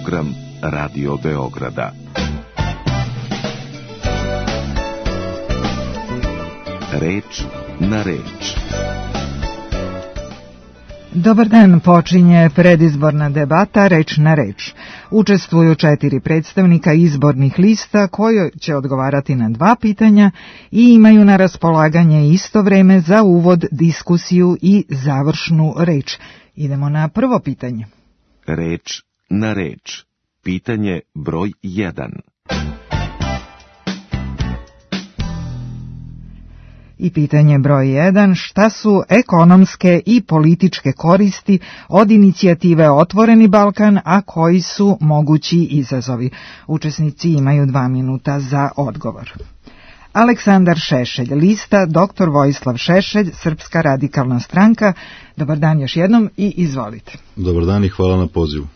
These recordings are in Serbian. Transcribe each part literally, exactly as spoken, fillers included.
program Radio Beograda. Reč na reč. Dobar dan, počinje predizborna debata Reč na reč. Učestvuju četiri predstavnika izbornih lista koji će odgovarati na dva pitanja i imaju na raspolaganje isto vreme za uvod, diskusiju i završnu reč. Idemo na prvo pitanje. Reč na reč. Pitanje broj jedan. I pitanje broj jedan, šta su ekonomske i političke koristi od inicijative Otvoreni Balkan, a koji su mogući izazovi? Učesnici imaju dva minuta za odgovor. Aleksandar Šešelj, lista doktor Vojislav Šešelj, Srpska radikalna stranka. Dobar dan još jednom i izvolite. Dobar dan i hvala na pozivu.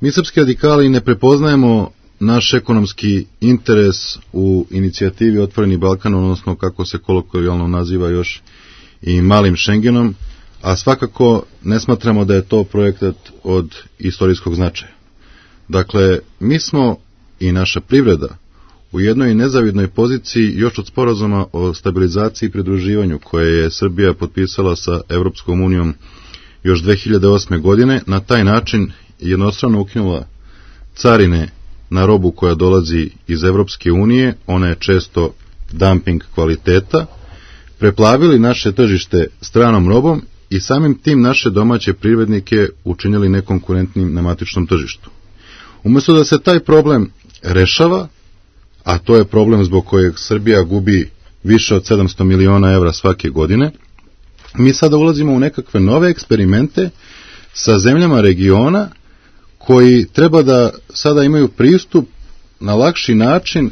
Mi srpski radikali ne prepoznajemo naš ekonomski interes u inicijativi Otvoreni Balkan, odnosno kako se kolokvijalno naziva još i malim Šengenom, a svakako ne smatramo da je to projekat od istorijskog značaja. Dakle, mi smo i naša privreda u jednoj nezavidnoj poziciji još od sporazuma o stabilizaciji i pridruživanju koje je Srbija potpisala sa Evropskom unijom još dve hiljade osme. godine, na taj način jednostrano ukinula carine na robu koja dolazi iz Evropske unije, ona je često dumping kvaliteta, preplavili naše tržište stranom robom i samim tim naše domaće privrednike učinili nekonkurentnim na matičnom tržištu. Umjesto da se taj problem rešava, a to je problem zbog kojeg Srbija gubi više od sedamsto miliona evra svake godine, mi sada ulazimo u nekakve nove eksperimente sa zemljama regiona koji treba da sada imaju pristup na lakši način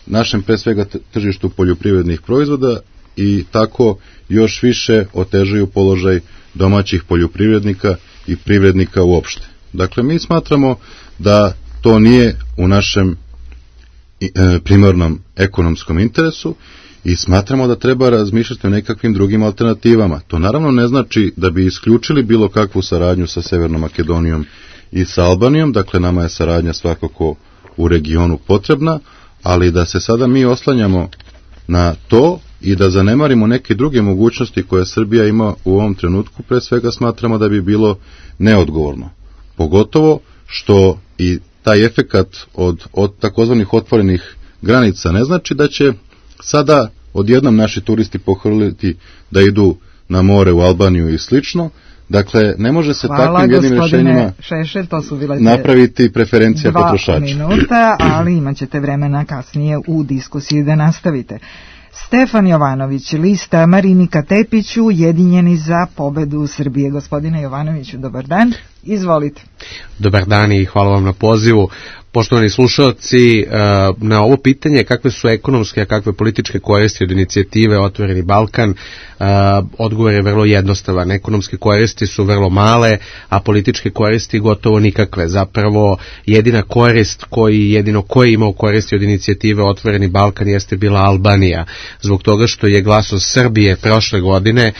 našem pre svega tržištu poljoprivrednih proizvoda i tako još više otežuju položaj domaćih poljoprivrednika i privrednika uopšte. Dakle, mi smatramo da to nije u našem primarnom ekonomskom interesu i smatramo da treba razmišljati o nekakvim drugim alternativama. To naravno ne znači da bi isključili bilo kakvu saradnju sa Severnom Makedonijom i sa Albanijom, dakle nama je saradnja svakako u regionu potrebna, ali da se sada mi oslanjamo na to i da zanemarimo neke druge mogućnosti koje Srbija ima u ovom trenutku, pre svega smatramo da bi bilo neodgovorno. Pogotovo što i taj efekat od, od takozvanih otvorenih granica ne znači da će sada odjednom naši turisti pohrliti da idu na more u Albaniju i slično. Dakle, ne može se Hvala, takvim jednim rješenjima Šešelj, to su bile napraviti preferencija dva potrošača. Minuta, ali imat ćete vremena kasnije u diskusiji da nastavite. Stefan Jovanović, lista Marinika Tepić, Ujedinjeni za pobedu Srbije. Gospodine Jovanoviću, dobar dan, izvolite. Dobar dan i hvala vam na pozivu. Poštovani slušalci, na ovo pitanje kakve su ekonomske, a kakve političke koristi od inicijative Otvoreni Balkan, odgovor je vrlo jednostavan. Ekonomske koristi su vrlo male, a političke koristi gotovo nikakve. Zapravo, jedina korist koji, jedino koji je imao koristi od inicijative Otvoreni Balkan jeste bila Albanija. Zbog toga što je glasom Srbije prošle godine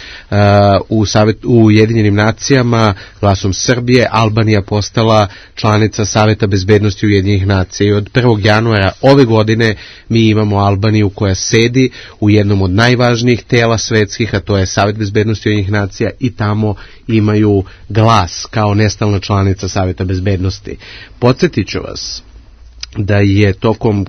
u, Savet, u Ujedinjenim nacijama, glasom Srbije, Albanija postala članica Saveta bezbednosti Ujedinjenih nacija i od prvog januara ove godine mi imamo Albaniju koja sedi u jednom od najvažnijih tela svetskih, a to je Savet bezbednosti Ujedinjenih nacija i tamo imaju glas kao nestalna članica Saveta bezbednosti. Podsjetit ću vas da je tokom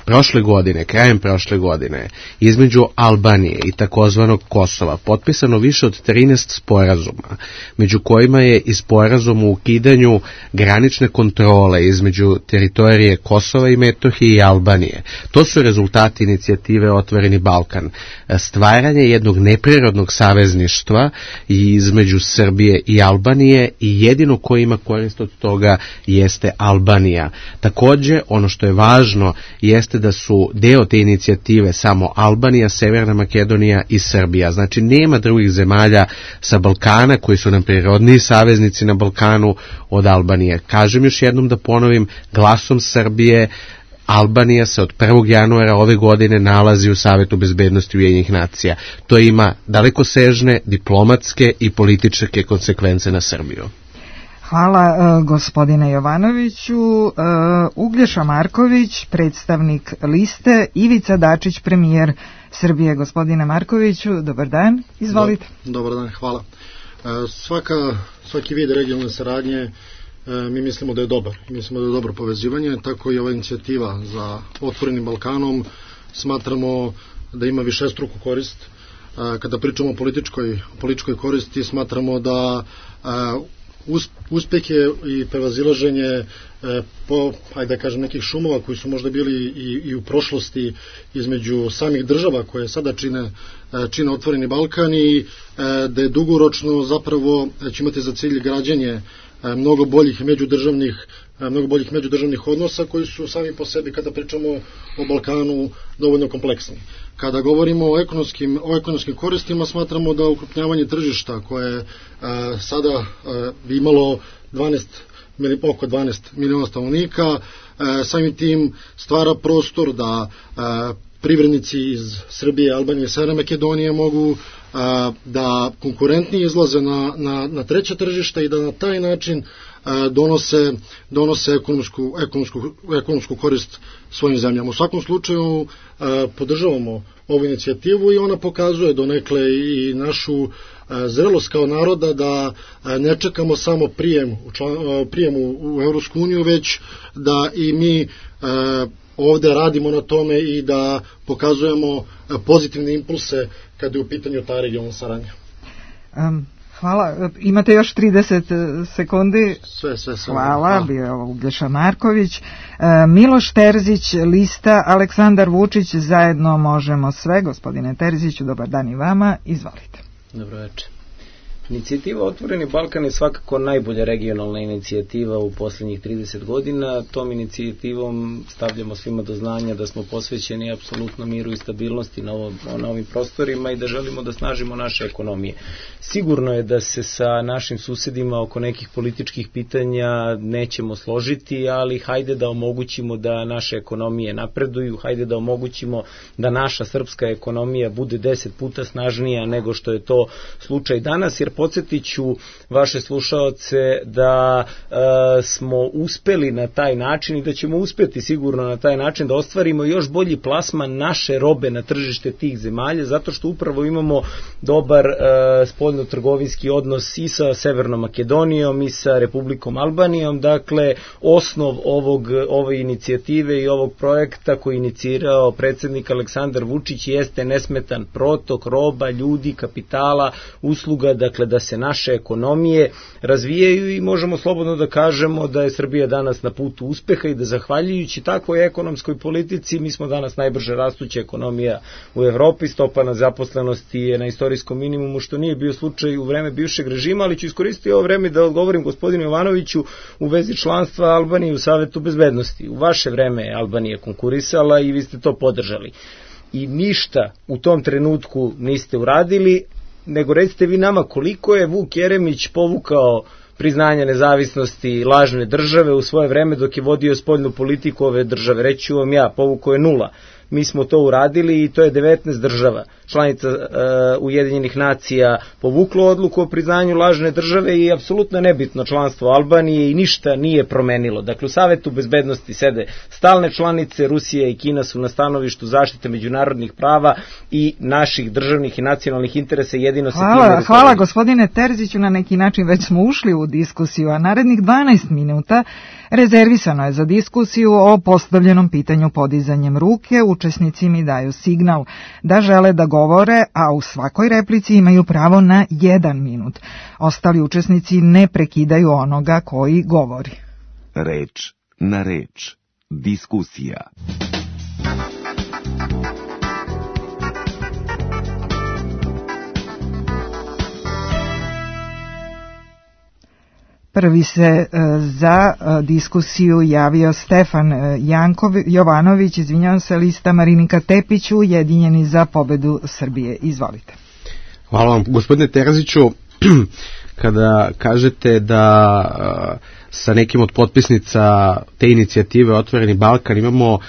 prošle godine, krajem prošle godine, između Albanije i takozvanog Kosova potpisano više od trinaest sporazuma, među kojima je i sporazum u ukidanju granične kontrole između teritorije Kosova i Metohije i Albanije. To su rezultati inicijative Otvoreni Balkan. Stvaranje jednog neprirodnog savezništva između Srbije i Albanije i jedino ko ima korist od toga jeste Albanija. Takođe, ono što je važno jeste da su deo te inicijative samo Albanija, Severna Makedonija i Srbija. Znači nema drugih zemalja sa Balkana koji su nam prirodniji saveznici na Balkanu od Albanije. Kažem još jednom da ponovim, glasom Srbije Albanija se od prvog januara ove godine nalazi u Savetu bezbednosti Ujedinjenih nacija. To ima dalekosežne diplomatske i političke konsekvence na Srbiju. Hvala uh, gospodine Jovanoviću. Uh, Uglješa Marković, predstavnik liste, Ivica Dačić, premijer Srbije. Gospodine Markoviću, dobar dan, izvolite. Do, dobar dan, hvala. Uh, svaka, svaki vid regionalne saradnje uh, mi mislimo da je dobar. Mislimo da je dobro povezivanje, tako i ova inicijativa za Otvorenim Balkanom smatramo da ima višestruku korist. Uh, kada pričamo o političkoj, političkoj koristi, smatramo da uh, uspehe i prevazilaženje e, po, ajde da kažem, nekih šumova koji su možda bili i, i u prošlosti između samih država koje sada čine, čine Otvoreni Balkan i e, da je dugoročno zapravo će imati za cilj građenje e, mnogo boljih međudržavnih mnogo boljih međudržavnih odnosa koji su sami po sebi, kada pričamo o Balkanu, dovoljno kompleksni. Kada govorimo o ekonomskim, o ekonomskim koristima, smatramo da ukrupnjavanje tržišta koje je sada bi imalo dvanaest, oko dvanaest miliona stanovnika, a, samim tim stvara prostor da a, privrednici iz Srbije, Albanije i Severne Makedonije mogu a, da konkurentnije izlaze na, na, na treće tržište i da na taj način a, donose, donose ekonomsku, ekonomsku, ekonomsku korist svojim zemljama. U svakom slučaju a, podržavamo ovu inicijativu i ona pokazuje donekle i našu a, zrelost kao naroda da a, ne čekamo samo prijem u, član, a, prijem u, u Evropsku uniju, već da i mi a, ovde radimo na tome i da pokazujemo pozitivne impulse kada je u pitanju ta regionalna saradnja. Um, hvala. Imate još trideset sekundi. Sve, sve, sve. Hvala, hvala. Bio je Uglješa Marković. Uh, Miloš Terzić, lista, Aleksandar Vučić, zajedno možemo sve. Gospodine Terziću, dobar dan i vama. Izvolite. Dobro večer. Inicijativa Otvoreni Balkan je svakako najbolja regionalna inicijativa u posljednjih trideset godina. Tom inicijativom stavljamo svima do znanja da smo posvećeni apsolutno miru i stabilnosti na, ovom, na ovim prostorima i da želimo da snažimo naše ekonomije. Sigurno je da se sa našim susedima oko nekih političkih pitanja nećemo složiti, ali hajde da omogućimo da naše ekonomije napreduju, hajde da omogućimo da naša srpska ekonomija bude deset puta snažnija nego što je to slučaj danas, jer podsjetit ću vaše slušaoce da e, smo uspeli na taj način i da ćemo uspeti sigurno na taj način da ostvarimo još bolji plasman naše robe na tržište tih zemalja, zato što upravo imamo dobar e, spoljno-trgovinski odnos i sa Severnom Makedonijom i sa Republikom Albanijom. Dakle, osnov ovog, ove inicijative i ovog projekta koji inicirao predsjednik Aleksandar Vučić jeste nesmetan protok roba, ljudi, kapitala, usluga, dakle da se naše ekonomije razvijaju i možemo slobodno da kažemo da je Srbija danas na putu uspeha i da zahvaljujući takvoj ekonomskoj politici mi smo danas najbrže rastuća ekonomija u Evropi, stopa nezaposlenosti je na istorijskom minimumu, što nije bio slučaj u vreme bivšeg režima, ali ću iskoristiti ovo vreme da odgovorim gospodinu Jovanoviću u vezi članstva Albanije u Savetu bezbednosti. U vaše vreme je Albanija konkurisala i vi ste to podržali. I ništa u tom trenutku niste uradili, nego recite vi nama koliko je Vuk Jeremić povukao priznanja nezavisnosti lažne države u svoje vreme dok je vodio spoljnu politiku ove države. Reću vam ja, povukao je nula. Mi smo to uradili i to je devetnaest država, članica uh, Ujedinjenih nacija, povuklo odluku o priznanju lažne države i apsolutno nebitno članstvo Albanije i ništa nije promenilo. Dakle, u Savetu bezbednosti sede stalne članice, Rusija i Kina su na stanovištu zaštite međunarodnih prava i naših državnih i nacionalnih interesa jedino se hvala, time... Hvala gospodine Terziću, na neki način već smo ušli u diskusiju, a narednih dvanaest minuta rezervisano je za diskusiju o postavljenom pitanju podizanjem ruke. Učesnici mi daju signal da žele da govore, a u svakoj replici imaju pravo na jedan minut. Ostali učesnici ne prekidaju onoga koji govori. Reč na reč. Diskusija. Prvi se e, za e, diskusiju javio Stefan e, Jankov, Jovanović, izvinjavam se, lista Marinika Tepić, Ujedinjeni za pobedu Srbije. Izvolite. Hvala vam, gospodine Terziću. Kada kažete da sa nekim od potpisnica te inicijative Otvoreni Balkan imamo,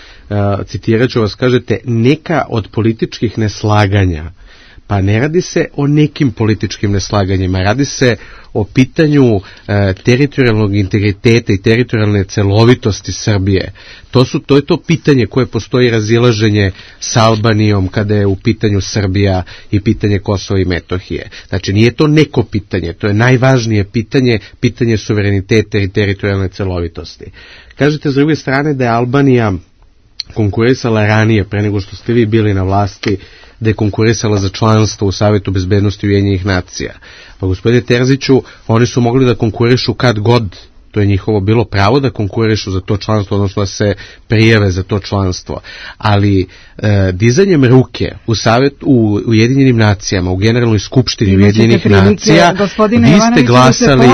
citirat ću vas, kažete, neka od političkih neslaganja, Pa ne radi se o nekim političkim neslaganjima, radi se o pitanju e, teritorijalnog integriteta i teritorijalne celovitosti Srbije. To su to je to pitanje koje postoji razilaženje sa Albanijom kada je u pitanju Srbija i pitanje Kosova i Metohije. Znači nije to neko pitanje, to je najvažnije pitanje, pitanje suvereniteta i teritorijalne celovitosti. Kažete s druge strane da je Albanija konkurisala ranije, pre nego što ste vi bili na vlasti, da je konkurisala za članstvo u Savetu bezbednosti Ujedinjenih nacija. Pa gospodine Terziću, oni su mogli da konkurišu kad god, to je njihovo bilo pravo da konkurišu za to članstvo, odnosno da se prijave za to članstvo. Ali e, dizanjem ruke u Savet u Ujedinjenim nacijama, u Generalnoj skupštini Ujedinjenih nacija, vi ste glasali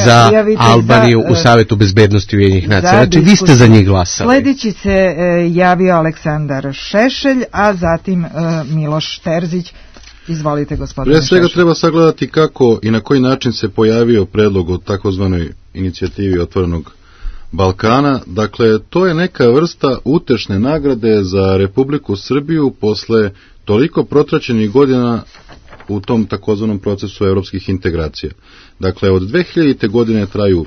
za Albaniju za, u Savetu bezbednosti Ujedinjenih nacija. Znači vi ste za njih glasali. Sljedeći se e, javio Aleksandar Šešelj, a zatim e, Miloš Terzić. Izvolite, gospodine Šešelj. Pre svega treba sagledati kako i na koji način se pojavio predlog o takozvanoj inicijativi Otvorenog Balkana. Dakle, to je neka vrsta utešne nagrade za Republiku Srbiju posle toliko protraćenih godina u tom takozvanom procesu evropskih integracija. Dakle, od dve hiljadite godine traju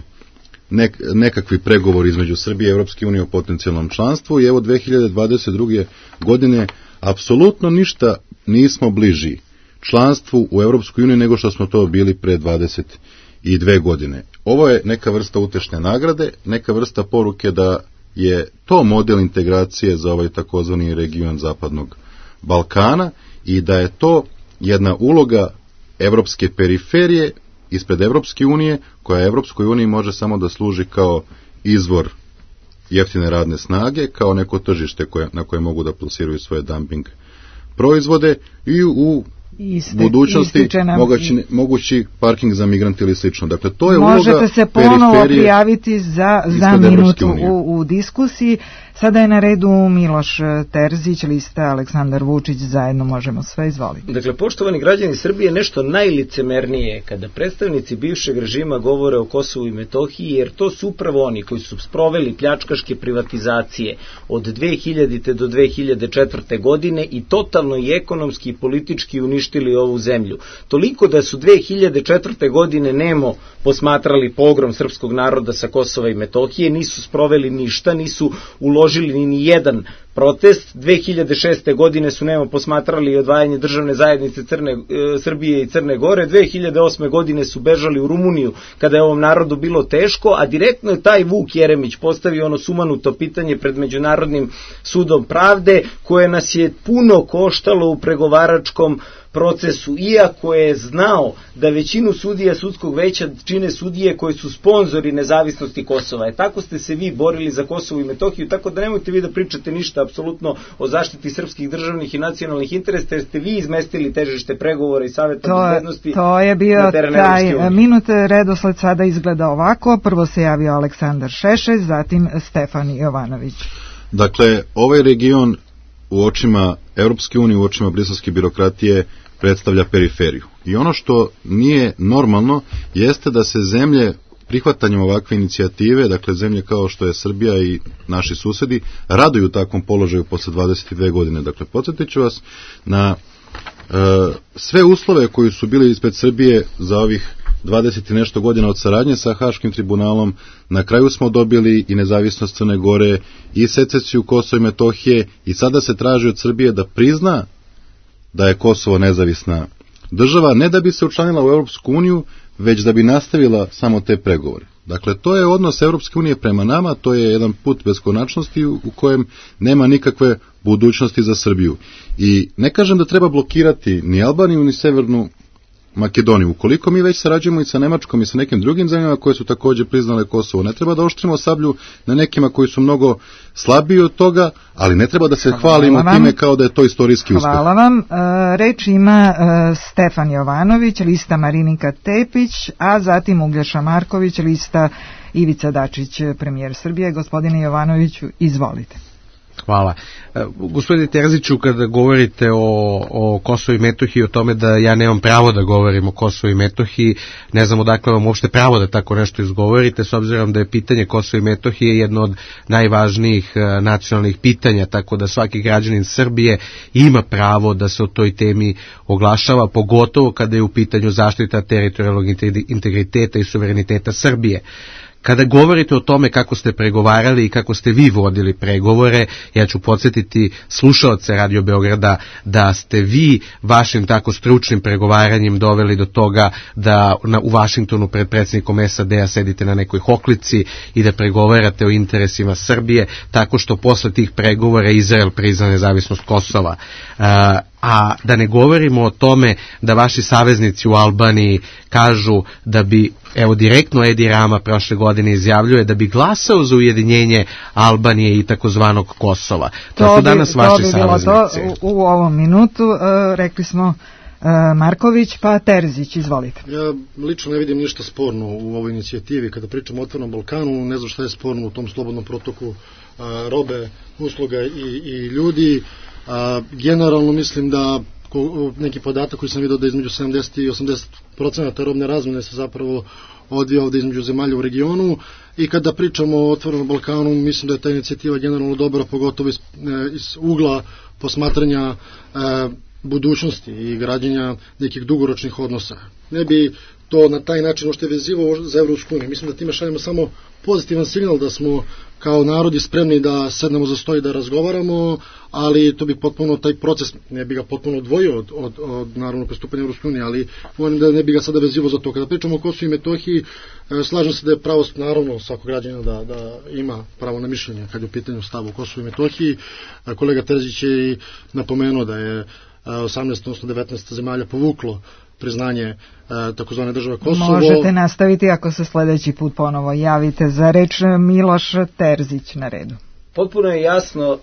nek, nekakvi pregovori između Srbije i Evropske unije o potencijalnom članstvu i evo dve hiljade dvadeset druge godine apsolutno ništa nismo bliži članstvu u Evropskoj uniji nego što smo to bili pre dvadeset dve godine. Ovo je neka vrsta utešne nagrade, neka vrsta poruke da je to model integracije za ovaj takozvani region Zapadnog Balkana i da je to jedna uloga evropske periferije ispred Evropske unije, koja Evropskoj uniji može samo da služi kao izvor jeftine radne snage, kao neko tržište koje, na koje mogu da plasiraju svoje dumping proizvode i u Iste, budućnosti mogući, mogući parking za migrante ili slično. Dakle, to je možete uloga se ponovo prijaviti za, za minutu u, u diskusiji. Sada je na redu Miloš Terzić, lista Aleksandar Vučić, zajedno možemo sve, izvoliti. Dakle, poštovani građani Srbije, nešto najlicemernije kada predstavnici bivšeg režima govore o Kosovu i Metohiji, jer to su upravo oni koji su sproveli pljačkaške privatizacije od dve hiljadite do dve hiljade četvrte godine i totalno i ekonomski i politički uništili ovu zemlju. Toliko da su dve hiljade četvrte godine nemo posmatrali pogrom srpskog naroda sa Kosova i Metohije, nisu sproveli ništa, nisu uložili ni jedan protest. dve hiljade šeste godine su nemo posmatrali odvajanje državne zajednice Crne, e, Srbije i Crne Gore, dve hiljade osme godine su bežali u Rumuniju kada je ovom narodu bilo teško, a direktno je taj Vuk Jeremić postavio ono sumanuto pitanje pred Međunarodnim sudom pravde, koje nas je puno koštalo u pregovaračkom procesu, iako je znao da većinu sudija sudskog veća čine sudije koji su sponzori nezavisnosti Kosova. E, tako ste se vi borili za Kosovo i Metohiju, tako da nemojte vi da pričate ništa apsolutno o zaštiti srpskih državnih i nacionalnih interesa, jer ste vi izmestili težište pregovora i Saveta bezbednosti. To je bio taj minut. Redosled sada izgleda ovako. Prvo se javio Aleksandar Šešelj, zatim Stefan Jovanović. Dakle, ovaj region u očima Europske unije, u očima briselske birokratije predstavlja periferiju. I ono što nije normalno jeste da se zemlje prihvatanjem ovakve inicijative, dakle zemlje kao što je Srbija i naši susedi, raduju takvom položaju posle dvadeset dve godine. Dakle, podsjetit ću vas na e, sve uslove koji su bili ispred Srbije za ovih dvadeset i nešto godina od saradnje sa Haškim tribunalom. Na kraju smo dobili i nezavisnost Crne Gore i secesiju Kosova i Metohije i sada se traži od Srbije da prizna da je Kosovo nezavisna država, ne da bi se učlanila u Europsku uniju, već da bi nastavila samo te pregovore. Dakle, to je odnos Europske unije prema nama, to je jedan put beskonačnosti u kojem nema nikakve budućnosti za Srbiju. I ne kažem da treba blokirati ni Albaniju ni Severnu Makedoniju. Ukoliko mi već sarađujemo i sa Nemačkom i sa nekim drugim zemljama koje su također priznale Kosovo, ne treba da oštrimo sablju na nekima koji su mnogo slabiji od toga, ali ne treba da se Hvala hvalimo vam. time kao da je to istorijski uspeh. Hvala vam. E, reč ima e, Stefan Jovanović, lista Marinika Tepić, a zatim Uglješa Marković, lista Ivica Dačić, premijer Srbije. Gospodine Jovanoviću, izvolite. Hvala. Gospodine Terziću, kada govorite o, o Kosovu i Metohiji, o tome da ja nemam pravo da govorim o Kosovu i Metohiji, ne znam odakle vam uopšte pravo da tako nešto izgovorite, s obzirom da je pitanje Kosova i Metohije jedno od najvažnijih nacionalnih pitanja, tako da svaki građanin Srbije ima pravo da se o toj temi oglašava, pogotovo kada je u pitanju zaštita teritorijalnog integriteta i suvereniteta Srbije. Kada govorite o tome kako ste pregovarali i kako ste vi vodili pregovore, ja ću podsjetiti slušaoce Radio Beograda da ste vi vašim tako stručnim pregovaranjem doveli do toga da na, u Vašingtonu pred predsjednikom S A D-a sedite na nekoj hoklici i da pregovarate o interesima Srbije, tako što posle tih pregovora Izrael prizna nezavisnost Kosova. Uh, a da ne govorimo o tome da vaši saveznici u Albaniji kažu da bi, evo direktno Edi Rama prošle godine izjavljuje da bi glasao za ujedinjenje Albanije i takozvanog Kosova. To, to su danas bi, vaši to bi saveznici. To u, u ovom minutu uh, rekli smo uh, Marković, pa Terzić, izvolite. Ja lično ne vidim ništa sporno u ovoj inicijativi. Kada pričamo o Otvorenom Balkanu, ne znam šta je sporno u tom slobodnom protoku uh, robe, usluga i, i ljudi. A, generalno mislim da ko, neki podatak koji sam vidio da između sedamdeset i osamdeset procenata robne razmene se zapravo odvija ovde između zemalja u regionu i kada pričamo o Otvorenom Balkanu mislim da je ta inicijativa generalno dobra, pogotovo iz, iz ugla posmatranja e, budućnosti i građenja nekih dugoročnih odnosa. Ne bi to na taj način ošte vezivo za Evropsku uniju. Mislim da time šaljemo samo pozitivan signal da smo kao narodi spremni da sednemo za sto i da razgovaramo, ali to bi potpuno taj proces, ne bi ga potpuno odvojio od, od, od naravno pristupanja Evropske unije, ali volim da ne bi ga sada vezivo za to. Kada pričamo o Kosovu i Metohiji, slažem se da je pravo, naravno, svakog građana da, da ima pravo na mišljenje kad je u pitanju stavu o Kosovu i Metohiji. Kolega Terzić je i napomenuo da je osamnaest, odnosno devetnaest zemalja povuklo priznanje e, takozvane države Kosovo. Možete nastaviti ako se sledeći put ponovo javite za reč. Miloš Terzić na redu. Potpuno je jasno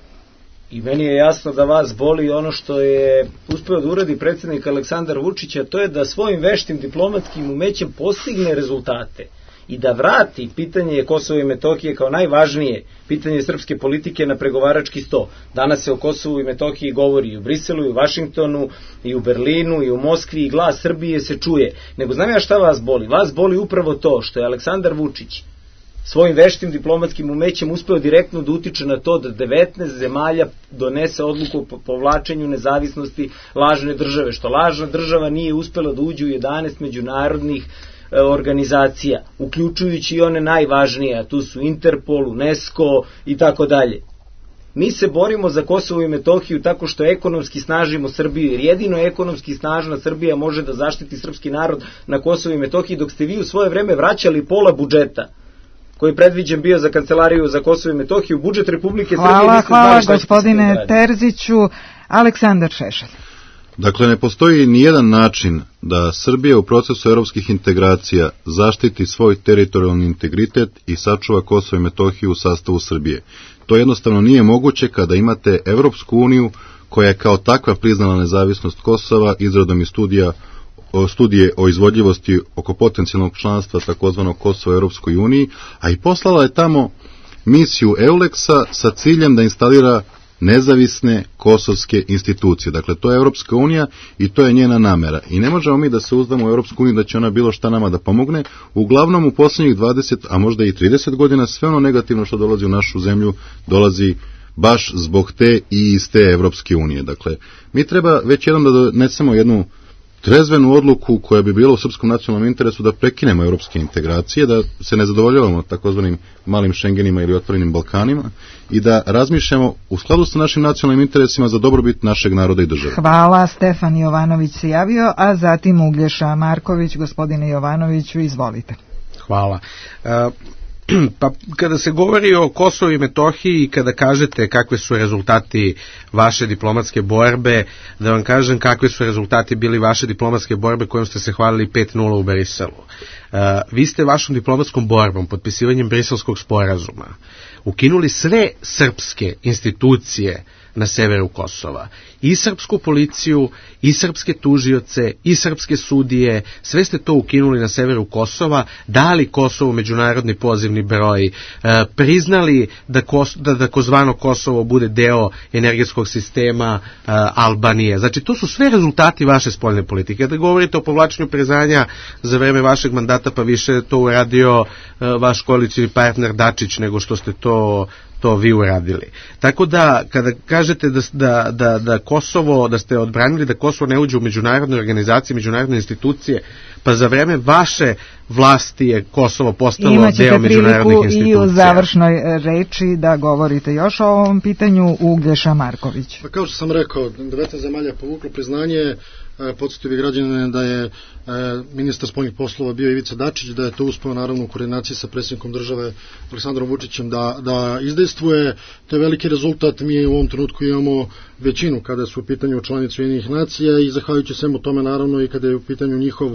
i meni je jasno da vas boli ono što je uspeo da uradi predsjednik Aleksandar Vučić, a to je da svojim veštim diplomatskim umećem postigne rezultate i da vrati pitanje Kosova i Metohije kao najvažnije pitanje srpske politike na pregovarački sto. Danas se o Kosovu i Metohiji govori i u Briselu, i u Vašingtonu, i u Berlinu, i u Moskvi, i glas Srbije se čuje. Nego znam ja šta vas boli? Vas boli upravo to što je Aleksandar Vučić svojim veštim diplomatskim umećem uspeo direktno da utiče na to da devetnaest zemalja donese odluku o povlačenju nezavisnosti lažne države, što lažna država nije uspela da uđe u jedanaest međunarodnih organizacija, uključujući i one najvažnije, a tu su Interpol, UNESCO i tako dalje. Mi se borimo za Kosovo i Metohiju tako što ekonomski snažimo Srbiju, jer jedino ekonomski snažna Srbija može da zaštiti srpski narod na Kosovo i Metohiji, dok ste vi u svoje vreme vraćali pola budžeta koji je predviđen bio za Kancelariju za Kosovo i Metohiju, budžet Republike Srbije. Hvala, hvala gospodine Terziću. Aleksandar Šešelj. Dakle, ne postoji nijedan način da Srbija u procesu evropskih integracija zaštiti svoj teritorijalni integritet i sačuva Kosovo i Metohiju u sastavu Srbije. To jednostavno nije moguće kada imate Evropsku uniju koja je kao takva priznala nezavisnost Kosova izradom i studija, o, studije o izvodljivosti oko potencijalnog članstva takozvanog Kosova u Evropskoj uniji, a i poslala je tamo misiju Euleksa sa ciljem da instalira nezavisne kosovske institucije. Dakle, to je Evropska unija i to je njena namera. I ne možemo mi da se uzdamo u Evropsku uniju da će ona bilo šta nama da pomogne. Uglavnom, u posljednjih dvadeset, a možda i trideset godina, sve ono negativno što dolazi u našu zemlju, dolazi baš zbog te i iz te Evropske unije. Dakle, mi treba već jednom da donesemo jednu trezvenu odluku koja bi bila u srpskom nacionalnom interesu da prekinemo evropske integracije, da se ne zadovoljavamo takozvanim malim Šengenima ili otvorenim Balkanima i da razmišljamo u skladu sa našim nacionalnim interesima za dobrobit našeg naroda i države. Hvala, Stefan Jovanović se javio, a zatim Uglješa Marković. Gospodine Jovanoviću, izvolite. Hvala. Uh... Pa kada se govori o Kosovu i Metohiji i kada kažete kakve su rezultati vaše diplomatske borbe, da vam kažem kakvi su rezultati bili vaše diplomatske borbe kojom ste se hvalili pet nula u Briselu. Uh, vi ste vašom diplomatskom borbom, potpisivanjem Briselskog sporazuma, ukinuli sve srpske institucije na severu Kosova i srpsku policiju, i srpske tužioce, i srpske sudije, sve ste to ukinuli na severu Kosova, dali Kosovu međunarodni pozivni broj, priznali da, Kos, da, da kozvano Kosovo bude deo energetskog sistema Albanije. Znači, to su sve rezultati vaše spoljne politike. Kada govorite o povlačenju priznanja za vreme vašeg mandata, pa više to uradio vaš koalicioni partner Dačić nego što ste to to vi uradili. Tako da, kada kažete da, da, da, da Kosovo, da ste odbranili da Kosovo ne uđe u međunarodne organizacije, međunarodne institucije, pa za vreme vaše vlasti je Kosovo postalo deo međunarodnih institucija. Imaćete priliku i u završnoj reči da govorite još o ovom pitanju. Uglješa Marković. Pa kao što sam rekao, devetnaest zemalja povuklo priznanje. Podsjetio bih građane da je ministar spoljnih poslova bio Ivica Dačić, da je to uspeo naravno u koordinaciji sa predsjednikom države Aleksandrom Vučićem da, da izdejstvuje. To je veliki rezultat. Mi u ovom trenutku imamo većinu kada su u pitanju članice Ujedinjenih nacija i zahvaljujući svemu tome naravno i kada je u pitanju njihov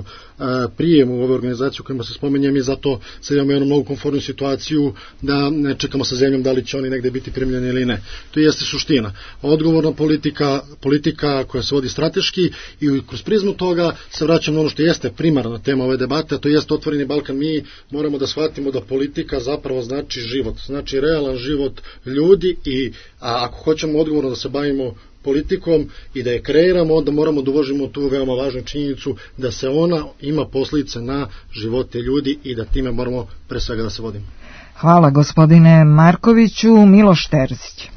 prijem u ove organizacije u kojima se spomenjem i zato sad imamo jednu mnogo komfortnu situaciju da ne čekamo sa zemljom da li će oni negde biti primljeni ili ne. To jeste suština. Odgovorna politika, politika koja se vodi strateški i kroz prizmu toga se vraćamo na ono što jeste primarna tema ove debate, a to jeste Otvoreni Balkan. Mi moramo da shvatimo da politika zapravo znači život, znači realan život ljudi i a ako hoćemo odgovorno da se bavimo politikom i da je kreiramo, onda moramo da uvažimo tu veoma važnu činjenicu da se ona ima posljedice na živote ljudi i da time moramo pre svega da se vodimo. Hvala gospodine Markoviću. Miloš Terzić.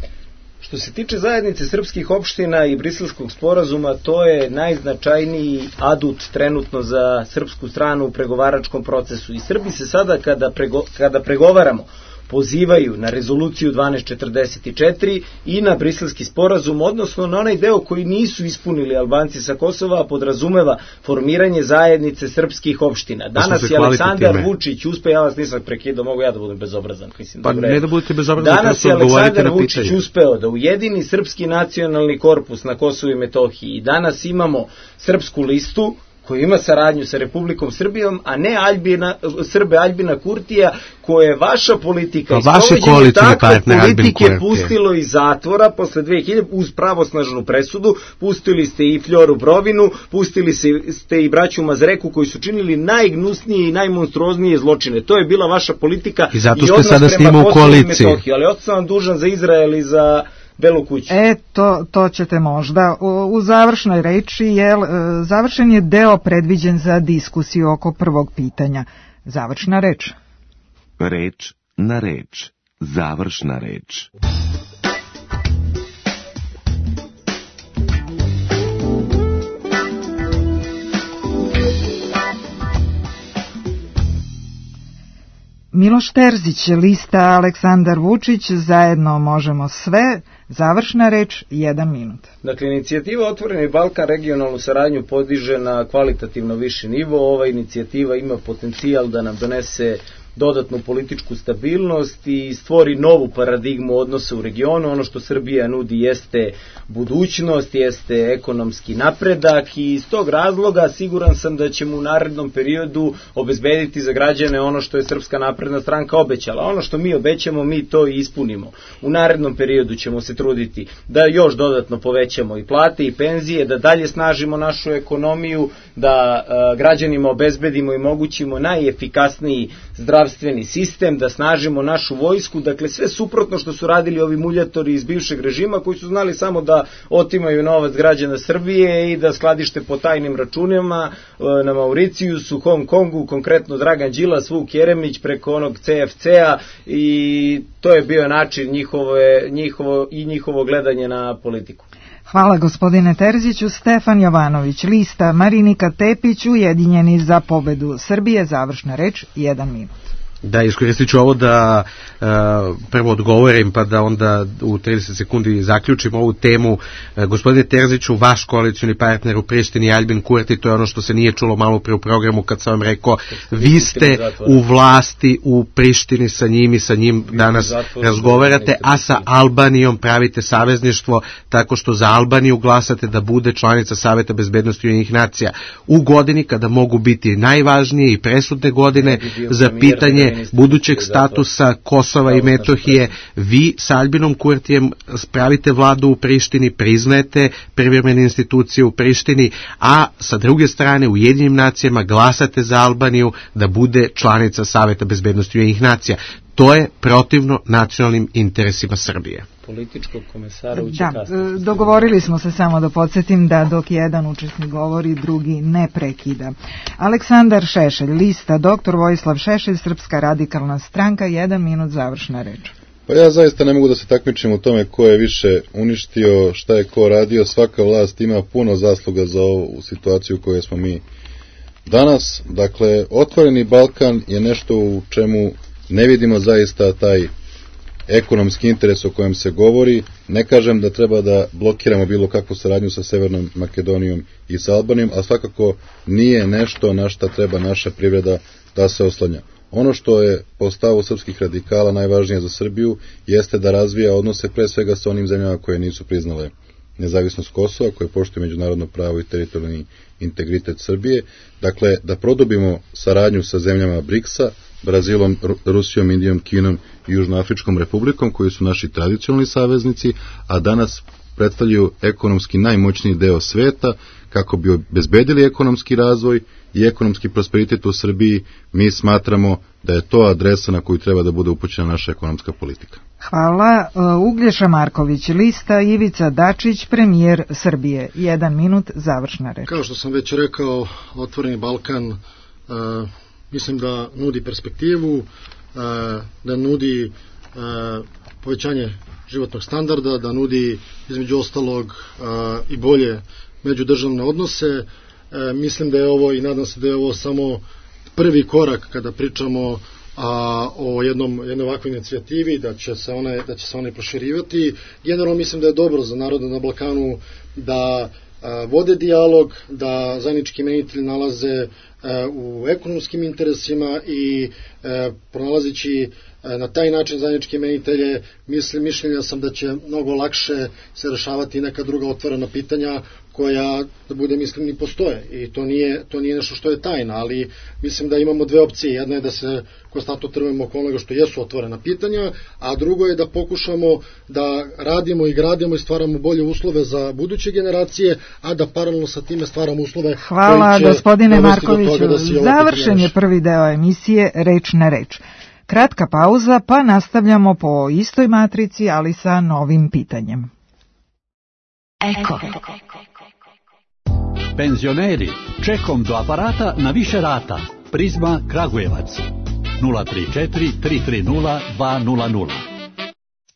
Što se tiče zajednice srpskih opština i Briselskog sporazuma, to je najznačajniji adut trenutno za srpsku stranu u pregovaračkom procesu. I Srbi se sada kada, prego, kada pregovaramo pozivaju na rezoluciju dvanaest četrdeset četiri i na Briselski sporazum, odnosno na onaj deo koji nisu ispunili Albanci sa Kosova, a podrazumeva formiranje zajednice srpskih opština. Danas je Aleksandar Vučić uspeo, ja vas nisam prekidao, mogu ja da budem bezobrazan. Mislim, pa ne da budete bezobrazan. Danas je Aleksandar Vučić uspeo da ujedini Srpski nacionalni korpus na Kosovu i Metohiji i danas imamo srpsku listu koji ima saradnju sa Republikom Srbijom, a ne Aljbina, Srbe Aljbina Kurtija, koje je vaša politika i sprovođenje takve politike pustilo iz zatvora posle dve hiljade uz pravosnažnu presudu. Pustili ste i Fljoru Brovinu, pustili ste i braću Mazreku koji su činili najgnusnije i najmonstruoznije zločine. To je bila vaša politika i, zato ste sada s njima u koaliciji. Ali ostao sam dužan za Izrael i za Belu kuću. E, to, to ćete možda. U, u završnoj reči, jel, završen je deo predviđen za diskusiju oko prvog pitanja. Završna reč. Reč na reč. Završna reč. Miloš Terzić, lista Aleksandar Vučić, zajedno možemo sve, završna reč, jedan minut. Dakle, inicijativa Otvoreni Balkan regionalnu saradnju podiže na kvalitativno viši nivo. Ova inicijativa ima potencijal da nam donese dodatnu političku stabilnost i stvori novu paradigmu odnosa u regionu. Ono što Srbija nudi jeste budućnost, jeste ekonomski napredak i iz tog razloga siguran sam da ćemo u narednom periodu obezbediti za građane ono što je Srpska napredna stranka obećala. Ono što mi obećamo, mi to i ispunimo. U narednom periodu ćemo se truditi da još dodatno povećamo i plate i penzije, da dalje snažimo našu ekonomiju, da a, građanima obezbedimo i mogućimo najefikasniji zdravstveni sistem, da snažimo našu vojsku, dakle sve suprotno što su radili ovi muljatori iz bivšeg režima koji su znali samo da otimaju novac građana Srbije i da skladište po tajnim računima na Mauricijusu, Hong Kongu, konkretno Dragan Đilas, Vuk Jeremić preko onog C F C-a i to je bio način njihove, njihovo, i njihovo gledanje na politiku. Hvala gospodine Terziću. Stefan Jovanović, lista Marinika Tepić, Ujedinjeni za pobedu Srbije, završna reč, jedan minut. Da, iskoristit ću ovo da uh, prvo odgovorim pa da onda u trideset sekundi zaključim ovu temu. Uh, gospodine Terziću, vaš koalicioni partner u Prištini Aljbin Kurti, to je ono što se nije čulo malo pre u programu kad sam vam rekao, vi ste u vlasti u Prištini sa njim i sa njim danas razgovarate, a sa Albanijom pravite savezništvo tako što za Albaniju glasate da bude članica Saveta bezbednosti Ujedinjenih nacija u godini kada mogu biti najvažnije i presudne godine za pitanje budućeg statusa Kosova i Metohije, vi sa Albinom Kurtijem pravite vladu u Prištini, priznajete privremene institucije u Prištini, a sa druge strane u Ujedinjenim nacijama glasate za Albaniju da bude članica Saveta bezbednosti Ujedinjenih nacija. To je protivno nacionalnim interesima Srbije. Političkog komesara u Da, dogovorili smo se, samo da podsjetim, da dok jedan učesnik govori, drugi ne prekida. Aleksandar Šešelj, lista doktor Vojislav Šešelj, Srpska radikalna stranka, jedan minut završna reč. Pa ja zaista ne mogu da se takmičim u tome ko je više uništio, šta je ko radio. Svaka vlast ima puno zasluga za ovu situaciju u kojoj smo mi danas. Dakle, Otvoreni Balkan je nešto u čemu ne vidimo zaista taj ekonomski interes o kojem se govori. Ne kažem da treba da blokiramo bilo kakvu saradnju sa Severnom Makedonijom i sa Albanijom, a svakako nije nešto na šta treba naša privreda da se oslanja. Ono što je po stavu srpskih radikala najvažnije za Srbiju jeste da razvija odnose pre svega sa onim zemljama koje nisu priznale nezavisnost Kosova, koje poštuju međunarodno pravo i teritorijalni integritet Srbije. Dakle, da produbimo saradnju sa zemljama briksa, Brazilom, Rusijom, Indijom, Kinom i Južnoafričkom republikom, koji su naši tradicionalni saveznici, a danas predstavljaju ekonomski najmoćniji deo sveta. Kako bi obezbedili ekonomski razvoj i ekonomski prosperitet u Srbiji, mi smatramo da je to adresa na koju treba da bude upućena naša ekonomska politika. Hvala. Uglješa Marković, lista Ivica Dačić, premijer Srbije. Jedan minut, završna reč. Kao što sam već rekao, Otvoreni Balkan uh, mislim da nudi perspektivu, uh, da nudi uh, povećanje životnog standarda, da nudi između ostalog uh, i bolje međudržavne odnose. Uh, mislim da je ovo, i nadam se da je ovo samo prvi korak kada pričamo a, o jednom, jednoj ovakvoj inicijativi, da će se one, da će se one proširivati. Generalno mislim da je dobro za narode na Balkanu da a, vode dijalog, da zajednički imenitelji nalaze a, u ekonomskim interesima i a, pronalazići a, na taj način zajedničke imenitelje, mislim, mišljenja sam da će mnogo lakše se rešavati neka druga otvorena pitanja koja, da budem iskren, i postoje. I to nije, to nije nešto što je tajna, ali mislim da imamo dve opcije. Jedna je da se konstantno trvimo oko onoga što jesu otvorena pitanja, a drugo je da pokušamo da radimo i gradimo i stvaramo bolje uslove za buduće generacije, a da paralelno sa time stvaramo uslove. Hvala, gospodine Markoviću. Da završen je prvi deo emisije Reč na reč. Kratka pauza, pa nastavljamo po istoj matrici, ali sa novim pitanjem. Eko. Penzioneri, čekom do aparata na više rata. Prizma Kragujevac. nula tri četiri tri tri nula dva nula nula.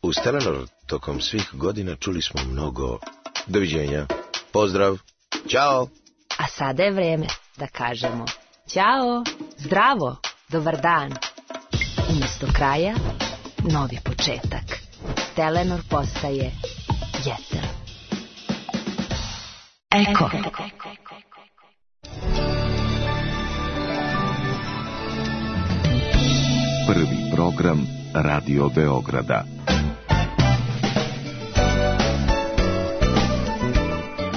U Telenor tokom svih godina čuli smo mnogo doviđenja, pozdrav, ćao. A sada je vreme da kažemo ćao, zdravo, dobar dan. Umesto kraja, novi početak. Telenor postaje jeter. Eko. Prvi program Radio Beograda.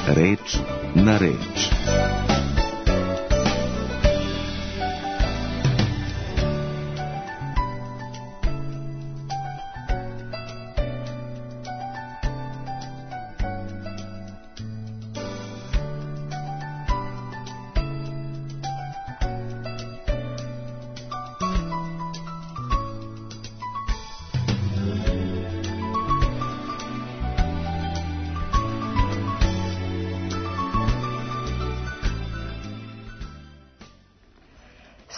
Reč na reč.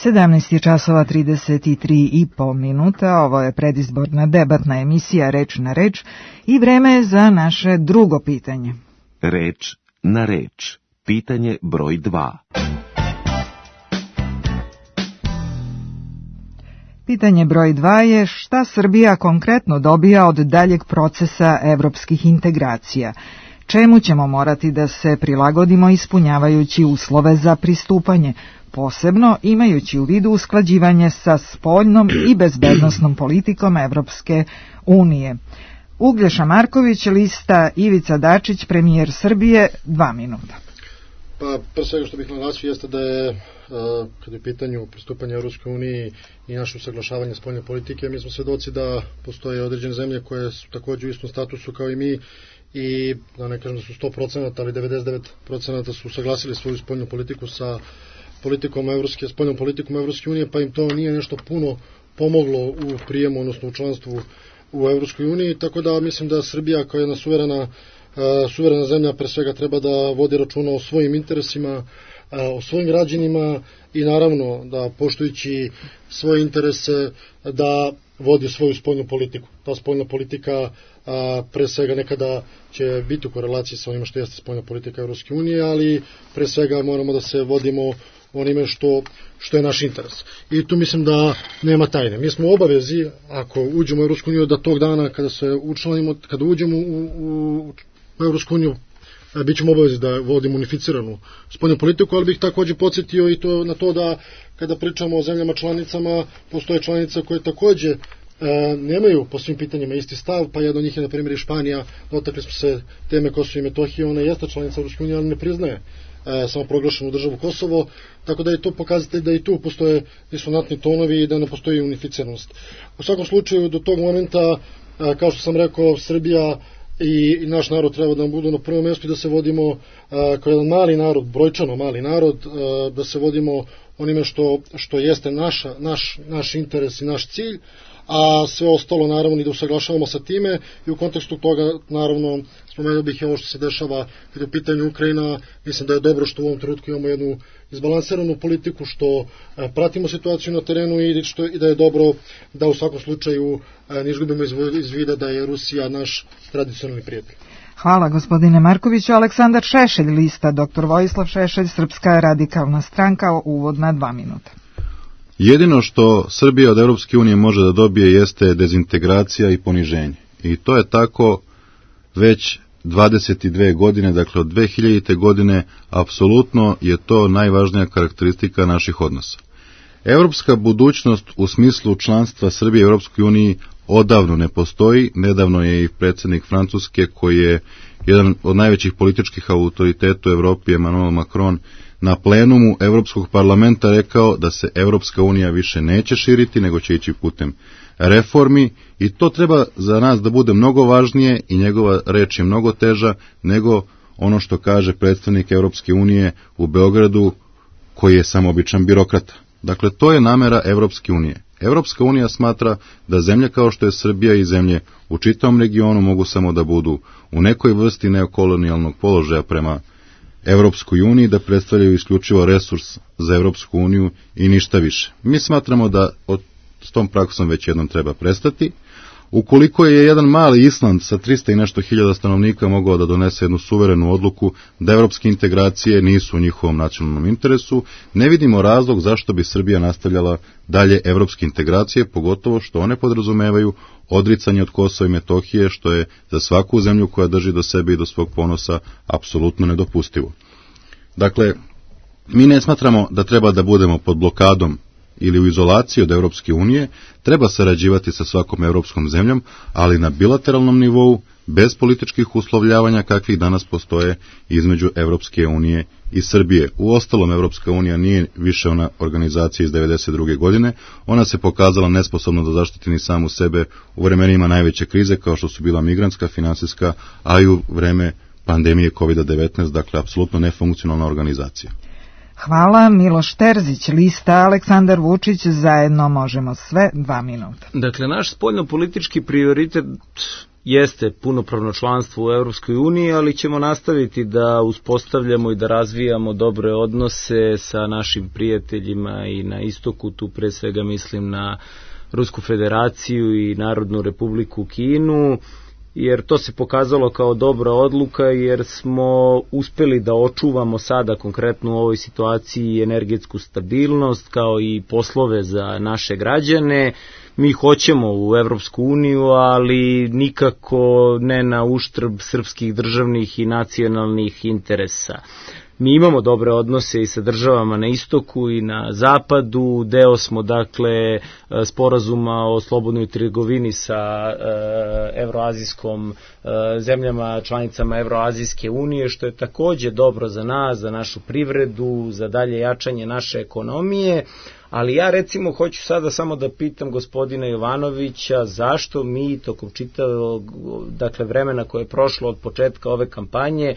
sedamnaest je časova trideset tri i po minuta, ovo je predizborna debatna emisija Reč na reč i vreme je za naše drugo pitanje. Reč na reč, pitanje broj dva. Pitanje broj dva je šta Srbija konkretno dobija od daljeg procesa evropskih integracija? Čemu ćemo morati da se prilagodimo ispunjavajući uslove za pristupanje, posebno imajući u vidu usklađivanje sa spoljnom i bezbednosnom politikom Evropske unije? Uglješa Marković, lista Ivica Dačić, premijer Srbije, dva minuta. Pa, pre svega što bih naglasio jeste da je, kada je u pitanju pristupanje Evropskoj uniji i naše usaglašavanje spoljne politike, mi smo svedoci da postoje određene zemlje koje su takođe u istom statusu kao i mi i da ne kažem da su sto procenata, ali devedeset devet procenata su usaglasili svoju spoljnu politiku sa politikom Evropske, spoljnom politikom Evropske unije, pa im to nije nešto puno pomoglo u prijemu, odnosno u članstvu u Evropskoj uniji, tako da mislim da Srbija kao jedna suverena suverena zemlja pre svega treba da vodi računa o svojim interesima, o svojim građanima i naravno da poštujući svoje interese da vodi svoju spoljnu politiku. Ta spoljna politika pre svega nekada će biti u korelaciji sa onima što jeste spoljna politika Evropske unije, ali pre svega moramo da se vodimo onime što, što je naš interes. I tu mislim da nema tajne. Mi smo u obavezi, ako uđemo u Evropsku uniju, da tog dana kada se učlanimo, kada uđemo u, u u Evropsku uniju, bit ćemo obavezi da vodimo unificiranu spoljnu politiku, ali bih takođe podsjetio i to na to da kada pričamo o zemljama članicama, postoje članice koje takođe e, nemaju po svim pitanjima isti stav, pa jedna od njih je na primjer i Španija, dotakli smo se teme Kosova i Metohije, ona jeste članica Evropske unije, ali ne priznaje e, samo proglašenu državu Kosovo, tako da je to pokazatelj da i tu postoje disonantni tonovi i da ne postoji unificiranost. U svakom slučaju, do tog momenta, e, kao što sam rekao, Srbija I, i naš narod treba da nam budu na prvom mjestu i da se vodimo uh, kao jedan mali narod, brojčano mali narod, uh, da se vodimo onime što, što jeste naša, naš, naš interes i naš cilj, a sve ostalo naravno i da usaglašavamo sa time i u kontekstu toga naravno spomenuo bih i ovo što se dešava kada je u pitanju Ukrajina. Mislim da je dobro što u ovom trenutku imamo jednu izbalansiranu politiku, što e, pratimo situaciju na terenu i, što, i da je dobro da u svakom slučaju e, ne izgubimo iz, iz vida da je Rusija naš tradicionalni prijatelj. Hvala gospodine Markoviću. Aleksandar Šešelj, lista doktor Vojislav Šešelj, Srpska radikalna stranka, uvodna dva minuta. Jedino što Srbija od Evropske unije može da dobije jeste dezintegracija i poniženje. I to je tako već dvadeset dve godine, dakle od dve hiljadite. godine, apsolutno je to najvažnija karakteristika naših odnosa. Evropska budućnost u smislu članstva Srbije u Evropskoj uniji odavno ne postoji. Nedavno je i predsjednik Francuske, koji je jedan od najvećih političkih autoriteta u Evropi, Emmanuel Macron, na plenumu Evropskog parlamenta rekao da se Evropska unija više neće širiti, nego će ići putem reformi i to treba za nas da bude mnogo važnije i njegova reč je mnogo teža nego ono što kaže predstavnik Evropske unije u Beogradu, koji je samo običan birokrata. Dakle, to je namera Evropske unije. Evropska unija smatra da zemlje kao što je Srbija i zemlje u čitavom regionu mogu samo da budu u nekoj vrsti neokolonijalnog položaja prema Evropskoj uniji, da predstavljaju isključivo resurs za Evropsku uniju i ništa više. Mi smatramo da od, s tom praksom već jednom treba prestati. Ukoliko je jedan mali Island sa trista i nešto hiljada stanovnika mogao da donese jednu suverenu odluku da evropske integracije nisu u njihovom nacionalnom interesu, ne vidimo razlog zašto bi Srbija nastavljala dalje evropske integracije, pogotovo što one podrazumevaju odricanje od Kosova i Metohije, što je za svaku zemlju koja drži do sebe i do svog ponosa apsolutno nedopustivo. Dakle, mi ne smatramo da treba da budemo pod blokadom ili u izolaciji od Evropske unije, treba sarađivati sa svakom evropskom zemljom, ali na bilateralnom nivou, bez političkih uslovljavanja kakvih danas postoje između Evropske unije i Srbije. U ostalom, Evropska unija nije više ona organizacija iz devedeset druge. godine, ona se pokazala nesposobno da zaštiti ni samu sebe u vremenima najveće krize, kao što su bila migrantska, finansijska, a i u vreme pandemije kovid devetnaest, dakle, apsolutno nefunkcionalna organizacija. Hvala. Miloš Terzić, lista Aleksandar Vučić, zajedno možemo sve, dva minuta. Dakle, naš spoljno-politički prioritet jeste punopravno članstvo u Evropskoj uniji, ali ćemo nastaviti da uspostavljamo i da razvijamo dobre odnose sa našim prijateljima i na istoku, tu pre svega mislim na Rusku federaciju i Narodnu republiku Kinu, jer to se pokazalo kao dobra odluka, jer smo uspeli da očuvamo sada konkretno u ovoj situaciji energetsku stabilnost kao i poslove za naše građane. Mi hoćemo u Evropsku uniju, ali nikako ne na uštrb srpskih državnih i nacionalnih interesa. Mi imamo dobre odnose i sa državama na istoku i na zapadu, deo smo dakle sporazuma o slobodnoj trgovini sa evroazijskom zemljama, članicama Evroazijske unije, što je takođe dobro za nas, za našu privredu, za dalje jačanje naše ekonomije. Ali ja recimo hoću sada samo da pitam gospodina Jovanovića zašto mi tokom čitavog dakle, vremena koje je prošlo od početka ove kampanje,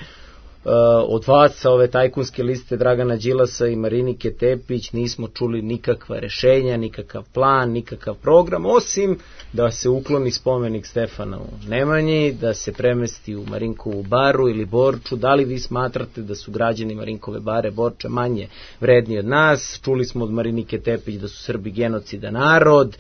od vas sa ove tajkunske liste Dragana Đilasa i Marinike Tepić nismo čuli nikakva rešenja, nikakav plan, nikakav program, osim da se ukloni spomenik Stefanu Nemanji, da se premesti u Marinkovu baru ili Borču. Da li vi smatrate da su građani Marinkove bare Borča manje vredni od nas? Čuli smo od Marinike Tepić da su Srbi genocidan narod.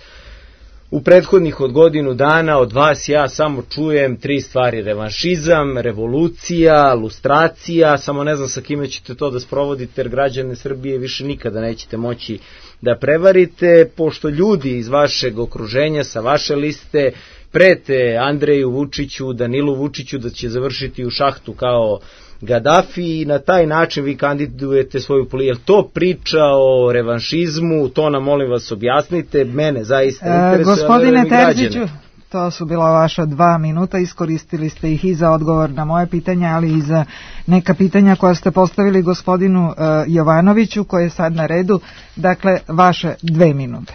U prethodnih od godinu dana od vas ja samo čujem tri stvari: revanšizam, revolucija, lustracija. Samo ne znam sa kime ćete to da sprovodite, jer građane Srbije više nikada nećete moći da prevarite, pošto ljudi iz vašeg okruženja, sa vaše liste, prete Andreju Vučiću, Danilu Vučiću da će završiti u šahtu kao Gaddafi i na taj način vi kandidujete svoju politiku. Je to priča o revanšizmu? To nam molim vas objasnite. Mene zaista interesuje. E, gospodine Terziću, to su bila vaša dva minuta, iskoristili ste ih i za odgovor na moje pitanja, ali i za neka pitanja koja ste postavili gospodinu uh, Jovanoviću, koji je sad na redu. Dakle, vaše dve minute.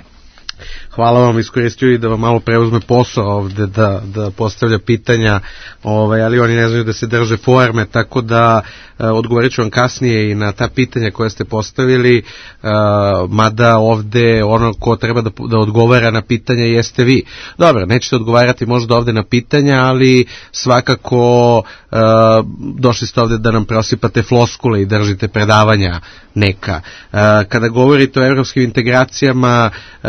Hvala vam, iskoristio i da vam malo preuzme posao ovde da, da postavlja pitanja, ovaj, ali oni ne znaju da se drže forme, tako da e, odgovorit ću vam kasnije i na ta pitanja koje ste postavili, e, mada ovde ono ko treba da, da odgovara na pitanja jeste vi. Dobro, nećete odgovarati možda ovde na pitanja, ali svakako e, došli ste ovde da nam prosipate floskule i držite predavanja neka. E, kada govorite o evropskim integracijama, e,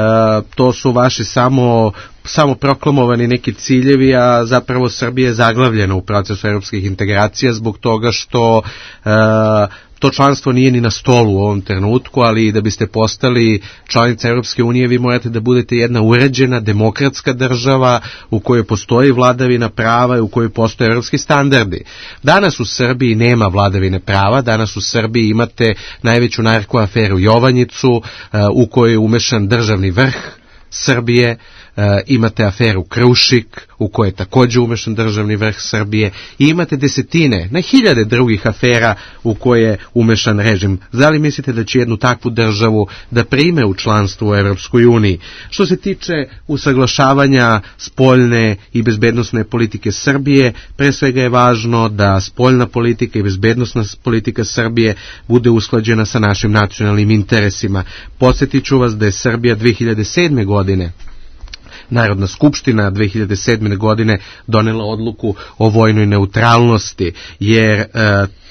to su vaši samo, samo proklamovani neki ciljevi, a zapravo Srbija je zaglavljena u procesu evropskih integracija zbog toga što e, to članstvo nije ni na stolu u ovom trenutku, ali da biste postali članica Evropske unije vi morate da budete jedna uređena, demokratska država u kojoj postoji vladavina prava i u kojoj postoje evropski standardi. Danas u Srbiji nema vladavine prava, danas u Srbiji imate najveću narko aferu Jovanjicu, u kojoj je umešan državni vrh Srbije, e, imate aferu Krušik u kojoj je takođe umešan državni vrh Srbije i imate desetine, na hiljade drugih afera u koje je umešan režim. Da li mislite da će jednu takvu državu da prime u članstvo u Evropskoj uniji? Što se tiče usaglašavanja spoljne i bezbednosne politike Srbije, pre svega je važno da spoljna politika i bezbednosna politika Srbije bude usklađena sa našim nacionalnim interesima. Podsjetit ću vas da je Srbija dve hiljade sedme godine Narodna skupština dve hiljade sedme godine donela odluku o vojnoj neutralnosti, jer e,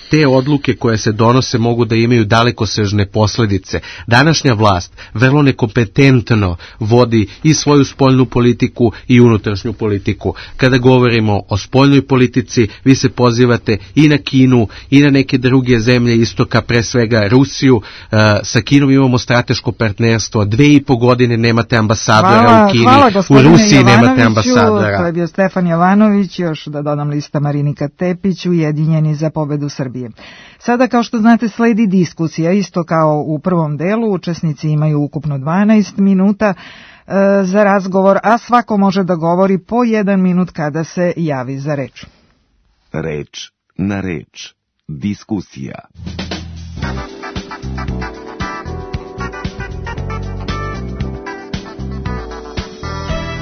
te odluke koje se donose mogu da imaju dalekosežne posledice. Današnja vlast vrlo nekompetentno vodi i svoju spoljnu politiku i unutrašnju politiku. Kada govorimo o spoljnoj politici, vi se pozivate i na Kinu i na neke druge zemlje istoka, pre svega Rusiju. E, sa Kinom imamo strateško partnerstvo. Dve i po godine nemate ambasadora hvala, u Kini. Hvala, u Rusiji nemate ambasadora. To je bio Stefan Jovanović, još da dodam lista Marinika Tepić, Ujedinjeni za pobedu Srbije. Sada, kao što znate, sledi diskusija, isto kao u prvom delu, učesnici imaju ukupno dvanaest minuta e, za razgovor, a svako može da govori po jedan minut kada se javi za reč. Reč na reč. Diskusija.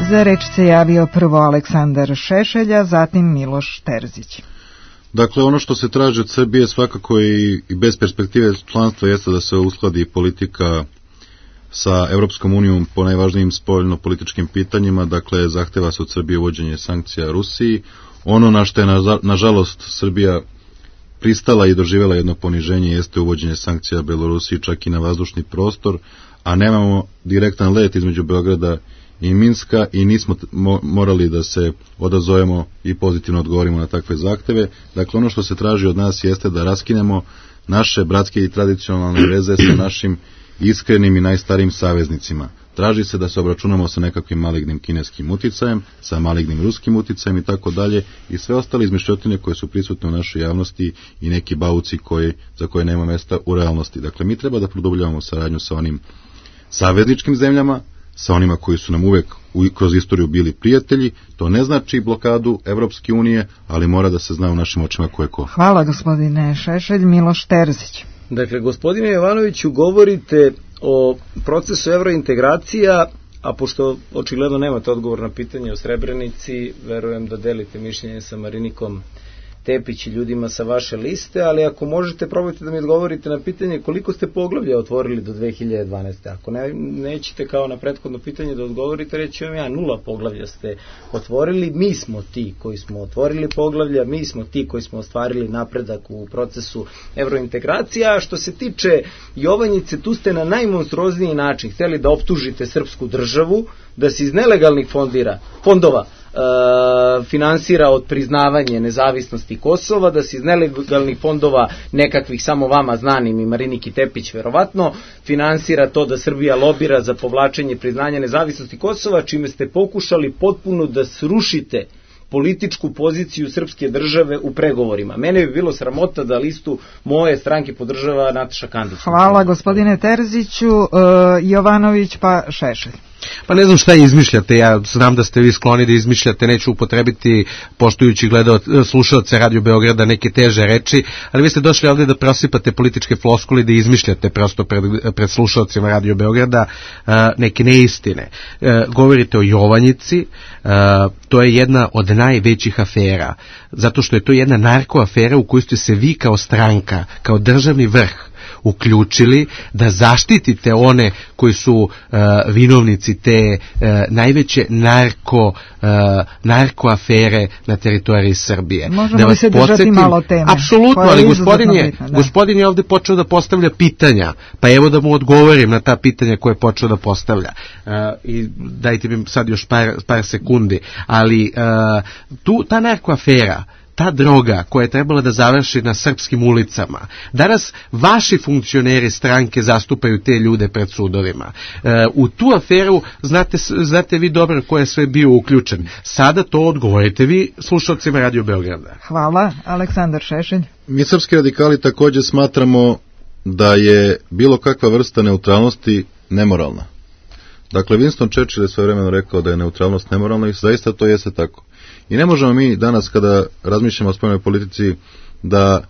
Za reč se javio prvo Aleksandar Šešelja, zatim Miloš Terzić. Dakle, ono što se traži od Srbije svakako i, i bez perspektive članstva jeste da se uskladi politika sa Evropskom unijom po najvažnijim spoljno-političkim pitanjima. Dakle, zahteva se od Srbije uvođenje sankcija Rusiji. Ono na što je na, nažalost Srbija pristala i doživjela jedno poniženje jeste uvođenje sankcija Belorusiji čak i na vazdušni prostor, a nemamo direktan let između Beograda i Minska i nismo morali da se odazovemo i pozitivno odgovorimo na takve zahteve. Dakle, ono što se traži od nas jeste da raskinemo naše bratske i tradicionalne veze sa našim iskrenim i najstarijim saveznicima. traži se da se obračunamo sa nekakvim malignim kineskim uticajem, sa malignim ruskim uticajem i tako dalje, i sve ostale izmišljotine koje su prisutne u našoj javnosti i neki bauci koji, za koje nema mesta u realnosti. Dakle, mi treba da produbljavamo saradnju sa onim savezničkim zemljama, sa onima koji su nam uvek u, kroz istoriju bili prijatelji. To ne znači blokadu Evropske unije, ali mora da se zna u našim očima ko je ko. Hvala gospodine Šešelj. Miloš Terzić. Dakle, gospodine Jovanoviću, govorite o procesu evrointegracija, a pošto očigledno nemate odgovor na pitanje o Srebrenici, verujem da delite mišljenje sa Marinikom Tepić i ljudima sa vaše liste, ali ako možete, probajte da mi odgovorite na pitanje koliko ste poglavlja otvorili do dve hiljade dvanaeste. Ako ne, nećete kao na prethodno pitanje da odgovorite, reći vam ja, nula poglavlja ste otvorili, mi smo ti koji smo otvorili poglavlja, mi smo ti koji smo ostvarili napredak u procesu evrointegracija. A što se tiče Jovanjice, tu ste na najmonstruozniji način hteli da optužite srpsku državu, da se iz nelegalnih fondira, fondova E, finansira od priznavanje nezavisnosti Kosova, da se iz nelegalnih fondova nekakvih samo vama znanim i Mariniki Tepić verovatno finansira to da Srbija lobira za povlačenje priznanja nezavisnosti Kosova, čime ste pokušali potpuno da srušite političku poziciju srpske države u pregovorima. Mene bi bilo sramota da listu moje stranke podržava Nataša Kandić. Hvala gospodine Terziću. e, Jovanović pa Šešelj. Pa ne znam šta izmišljate, ja znam da ste vi skloni da izmišljate, neću upotrebiti, poštujući gledao, slušalce Radio Beograda, neke teže reči, ali vi ste došli ovde da prosipate političke floskule, da izmišljate prosto pred, pred slušalcima Radio Beograda uh, neke neistine. Uh, govorite o Jovanjici, uh, to je jedna od najvećih afera, zato što je to jedna narkoafera u kojoj ste se vi kao stranka, kao državni vrh uključili da zaštitite one koji su uh, vinovnici te uh, najveće narko uh, narkoafere na teritoriji Srbije. Možemo li se držati malo teme? Apsolutno, ali gospodin je, bitna, gospodin je ovde počeo da postavlja pitanja, pa evo da mu odgovorim na ta pitanja koje je počeo da postavlja. Uh, I dajte mi sad još par, par sekundi, ali uh, tu, ta narkoafera, ta droga koja je trebala da završi na srpskim ulicama. Danas vaši funkcioneri stranke zastupaju te ljude pred sudovima. E, u tu aferu znate, znate vi dobro ko je sve bio uključen. Sada to odgovorite vi slušalcima Radio Beograda. Hvala. Aleksandar Šešelj. Mi srpski radikali takođe smatramo da je bilo kakva vrsta neutralnosti nemoralna. Dakle, Winston Churchill je svojevremeno rekao da je neutralnost nemoralna i zaista to jeste tako. I ne možemo mi danas, kada razmišljamo o spoljnoj politici, da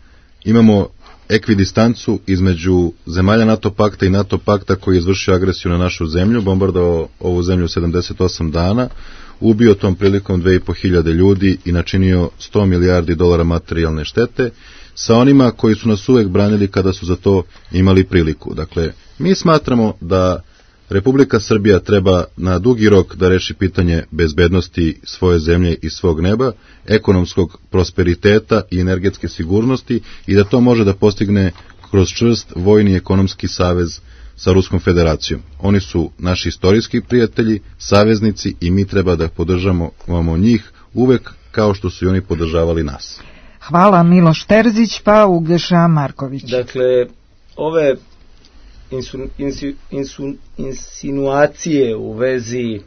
imamo ekvidistancu između zemalja NATO pakta i NATO pakta koji je izvršio agresiju na našu zemlju, bombardovao ovu zemlju sedamdeset osam dana, ubio tom prilikom dve i po hiljade ljudi i načinio sto milijardi dolara materijalne štete, sa onima koji su nas uvek branili kada su za to imali priliku. Dakle, mi smatramo da Republika Srbija treba na dugi rok da reši pitanje bezbednosti svoje zemlje i svog neba, ekonomskog prosperiteta i energetske sigurnosti i da to može da postigne kroz čvrst vojni i ekonomski savez sa Ruskom federacijom. Oni su naši istorijski prijatelji, saveznici i mi treba da podržamo njih uvek kao što su i oni podržavali nas. Hvala. Miloš Terzić pa Uglješa Marković. Dakle, ove Insu, insu, insu, insinuacije u vezi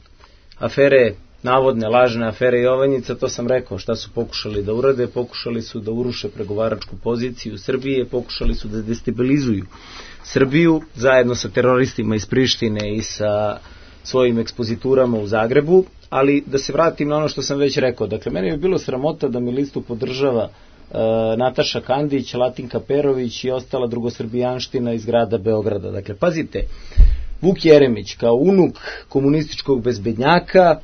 afere, navodne lažne afere Jovanjica, to sam rekao šta su pokušali da urade, pokušali su da uruše pregovaračku poziciju Srbije, pokušali su da destabilizuju Srbiju zajedno sa teroristima iz Prištine i sa svojim ekspoziturama u Zagrebu, ali da se vratim na ono što sam već rekao, dakle meni je bilo sramota da mi listu podržava Nataša Kandić, Latinka Perović i ostala drugosrbijanština iz grada Beograda. Dakle, pazite, Vuk Jeremić kao unuk komunističkog bezbednjaka,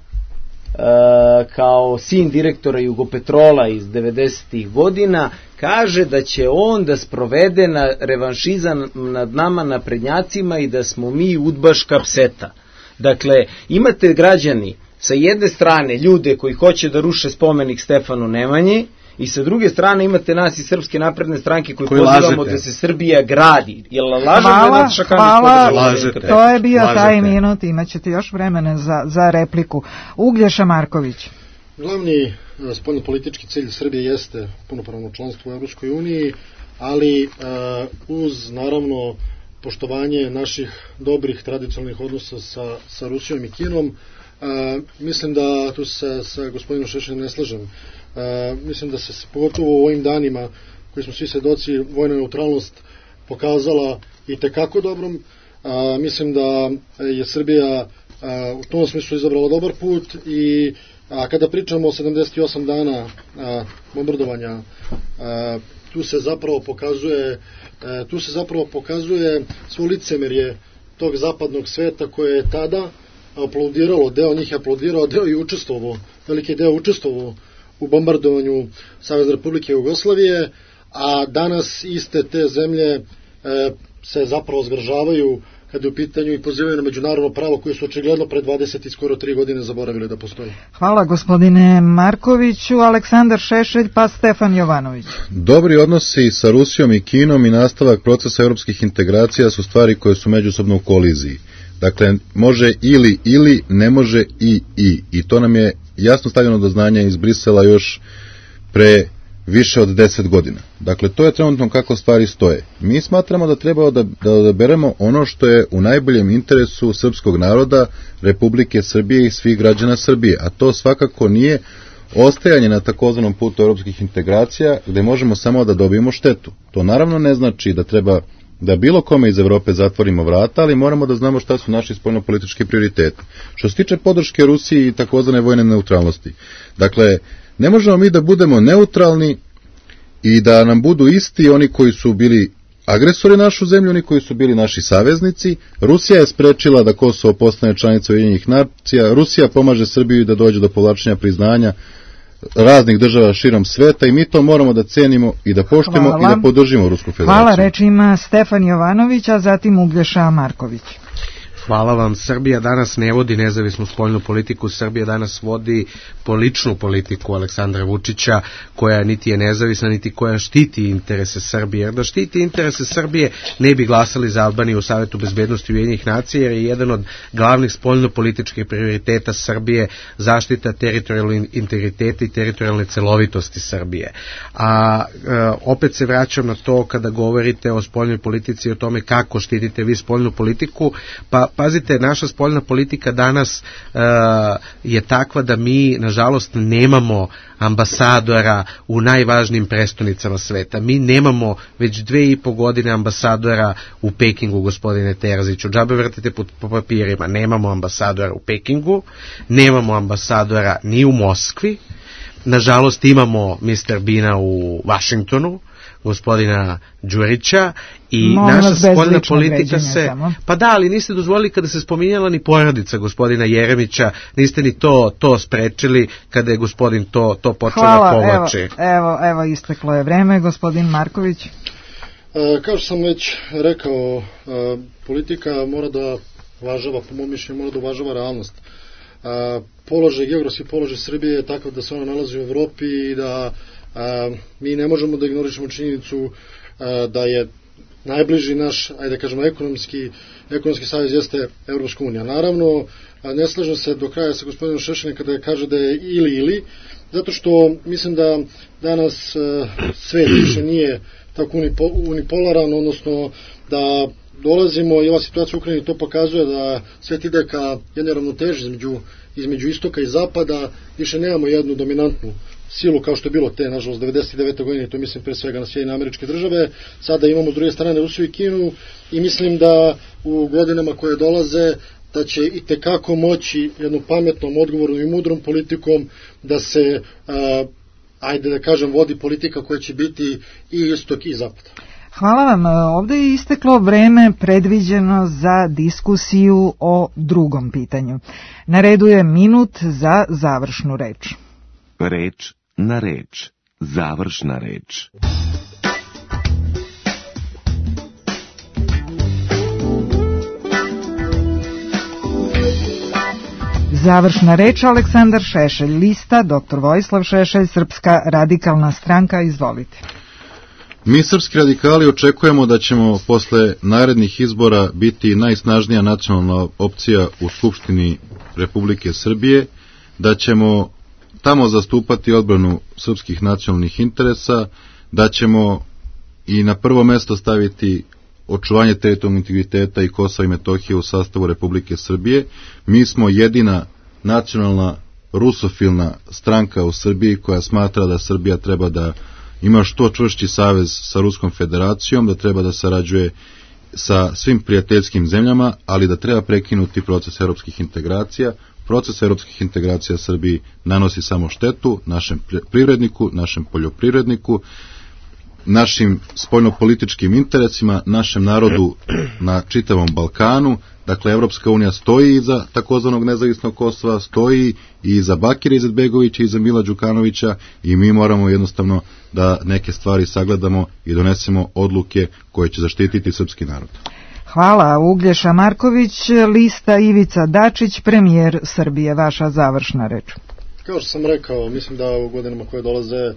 kao sin direktora Jugopetrola iz devedesetih godina, kaže da će on da sprovede na revanšizam nad nama naprednjacima i da smo mi udbaška pseta. Dakle, imate građani sa jedne strane ljude koji hoće da ruše spomenik Stefanu Nemanji, i sa druge strane imate nas iz Srpske napredne stranke koji, koji pozivamo lažete. Da se Srbija gradi. Jel lažem hvala, da hvala, lažete. To je bio lažete. Taj minut, imat ćete još vremena za, za repliku. Uglješa Marković. Glavni spoljnopolitički cilj Srbije jeste punopravno članstvo u Evropskoj uniji, ali uh, uz naravno poštovanje naših dobrih tradicionalnih odnosa sa, sa Rusijom i Kinom. A, mislim da tu se sa gospodinom Šešeljem ne slažem. A, mislim da se pogotovo u ovim danima koji smo svi svedoci, vojna neutralnost pokazala i tekako dobrom. A, mislim da je Srbija a, u tom smislu izabrala dobar put i a, kada pričamo o sedamdeset osam dana a, bombardovanja, a, tu se zapravo pokazuje a, tu se zapravo pokazuje svo licemerje tog zapadnog sveta koje je tada aplaudiralo, deo njih je aplaudirao, deo i učestvovao, veliki deo učestvovao u bombardovanju Savezne Republike Jugoslavije, a danas iste te zemlje e, se zapravo zgražavaju kada je u pitanju i pozivaju na međunarodno pravo koje su očigledno pre dvadeset i skoro tri godine zaboravili da postoji. Hvala gospodine Markoviću. Aleksandar Šešelj pa Stefan Jovanović. Dobri odnosi sa Rusijom i Kinom i nastavak procesa europskih integracija su stvari koje su međusobno u koliziji. Dakle, može ili ili, ne može i i. I to nam je jasno stavljeno do znanja iz Brisela još pre više od deset godina. Dakle, to je trenutno kako stvari stoje. Mi smatramo da treba da, da odaberemo ono što je u najboljem interesu srpskog naroda, Republike Srbije i svih građana Srbije, a to svakako nije ostajanje na takozvanom putu europskih integracija gde možemo samo da dobijemo štetu. To naravno ne znači da treba da bilo kome iz Evrope zatvorimo vrata, ali moramo da znamo šta su naši spoljnopolitički prioriteti. Što se tiče podrške Rusiji i takozvane vojne neutralnosti, dakle, ne možemo mi da budemo neutralni i da nam budu isti oni koji su bili agresori našu zemlju, oni koji su bili naši saveznici. Rusija je sprečila da Kosovo postane članica Ujedinjenih nacija, Rusija pomaže Srbiji da dođe do povlačenja priznanja raznih država širom sveta i mi to moramo da cenimo i da poštujemo i da podržimo Rusku federaciju. Hvala, reč ima Stefan Jovanović, a zatim Uglješa Marković. Hvala vam. Srbija danas ne vodi nezavisnu spoljnu politiku, Srbija danas vodi poličnu politiku Aleksandra Vučića, koja niti je nezavisna, niti koja štiti interese Srbije. Jer da štiti interese Srbije ne bi glasali za Albaniju u Savetu bezbednosti Ujedinjenih nacija, jer je jedan od glavnih spoljnopolitičkih prioriteta Srbije zaštita teritorijalnog integriteta i teritorijalne celovitosti Srbije. A e, opet se vraćam na to kada govorite o spoljnoj politici i o tome kako štitite vi spoljnu politiku, pa pazite, naša spoljna politika danas uh, je takva da mi, nažalost, nemamo ambasadora u najvažnijim prestonicama sveta. Mi nemamo već dve i po godine ambasadora u Pekingu, gospodine Terziću. Džabe vrtite po, po papirima. Nemamo ambasadora u Pekingu, nemamo ambasadora ni u Moskvi. Nažalost, imamo mister Bina u Vašingtonu, gospodina Đurića i Molim naša spoljna politika se... Samo. Pa da, ali niste dozvolili kada se spominjala ni porodica gospodina Jeremića, niste ni to to sprečili kada je gospodin to, to počeo da povlači. Evo, evo, evo isteklo je vreme, gospodin Marković. E, kao što sam već rekao, e, politika mora da uvažava, po mom mišljenju, mora da uvažava realnost. E, položaj, geografski položaj Srbije je takav da se ona nalazi u Evropi i da a, mi ne možemo da ignorišemo činjenicu a, da je najbliži naš, ajde da kažemo, ekonomski, ekonomski savez jeste Evropska unija. Naravno, a, ne slažem se do kraja sa gospodinom Šešeljem kada kaže da je ili ili, zato što mislim da danas a, svet više nije tako unipo, unipolaran, odnosno da dolazimo i ova situacija u Ukrajini to pokazuje da svet ide ka jednoj ravnoteži između, između istoka i zapada, više nemamo jednu dominantnu silu kao što je bilo te, nažalost, devedeset devete godine, to mislim pre svega na Sjedinjene Američke Države, sada imamo s druge strane Rusiju i Kinu i mislim da u godinama koje dolaze da će i tekako moći jednom pametnom, odgovornom i mudrom politikom da se, a, ajde da kažem, vodi politika koja će biti i istok i zapad. Hvala vam. Ovdje je isteklo vreme predviđeno za diskusiju o drugom pitanju. Na redu je minut za završnu reč. Reč na reč. Završna reč. Završna reč Aleksandar Šešelj, lista doktor Vojislav Šešelj, Srpska radikalna stranka, izvolite. Mi srpski radikali očekujemo da ćemo posle narednih izbora biti najsnažnija nacionalna opcija u Skupštini Republike Srbije, da ćemo tamo zastupati odbranu srpskih nacionalnih interesa, da ćemo i na prvo mesto staviti očuvanje teritorijalnog integriteta i Kosova i Metohije u sastavu Republike Srbije. Mi smo jedina nacionalna rusofilna stranka u Srbiji koja smatra da Srbija treba da ima što čvršći savez sa Ruskom federacijom, da treba da sarađuje sa svim prijateljskim zemljama, ali da treba prekinuti proces evropskih integracija. Proces evropskih integracija Srbiji nanosi samo štetu našem privredniku, našem poljoprivredniku, našim spoljnopolitičkim interesima, našem narodu na čitavom Balkanu. Dakle, Evropska unija stoji iza takozvanog nezavisnog Kosova, stoji i iza Bakira Izetbegovića i iza Mila Đukanovića i mi moramo jednostavno da neke stvari sagledamo i donesemo odluke koje će zaštititi srpski narod. Hvala. Uglješa Marković, lista Ivica Dačić, premijer Srbije. Vaša završna reč. Kao što sam rekao, mislim da u godinama koje dolaze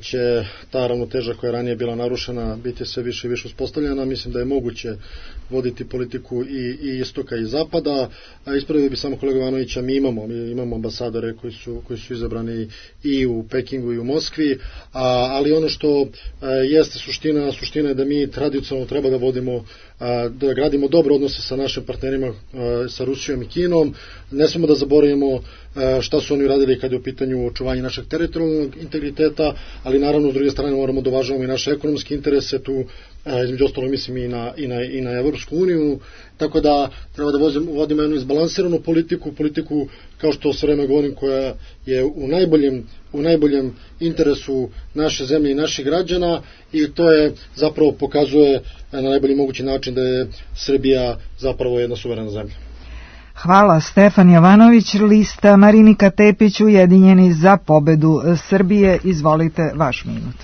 će ta ravnoteža koja je ranije bila narušena biti sve više i više uspostavljena. Mislim da je moguće voditi politiku i, i istoka i zapada. Ispravio bi samo kolega Ivanovića, mi imamo, mi imamo ambasadore koji su, koji su izabrani i u Pekingu i u Moskvi, a, ali ono što a, jeste suština, suština je da mi tradicionalno treba da vodimo, a, da gradimo dobre odnose sa našim partnerima, a, sa Rusijom i Kinom. Ne smemo da zaboravimo a, šta su oni radili kad je u pitanju očuvanje našeg teritorijalnog integriteta, ali naravno s druge strane moramo da uvažavamo i naše ekonomske interese, tu a, između ostalog mislim i na, i na, i na Evropsku uniju, tako da treba da vodimo, vodimo jednu izbalansiranu politiku, politiku kao što sve vreme govorim koja je u najboljem, u najboljem interesu naše zemlje i naših građana i to je zapravo pokazuje na najbolji mogući način da je Srbija zapravo jedna suverena zemlja. Hvala. Stefan Jovanović, lista Marinika Tepić, Ujedinjeni za pobedu Srbije. Izvolite, vaš minut.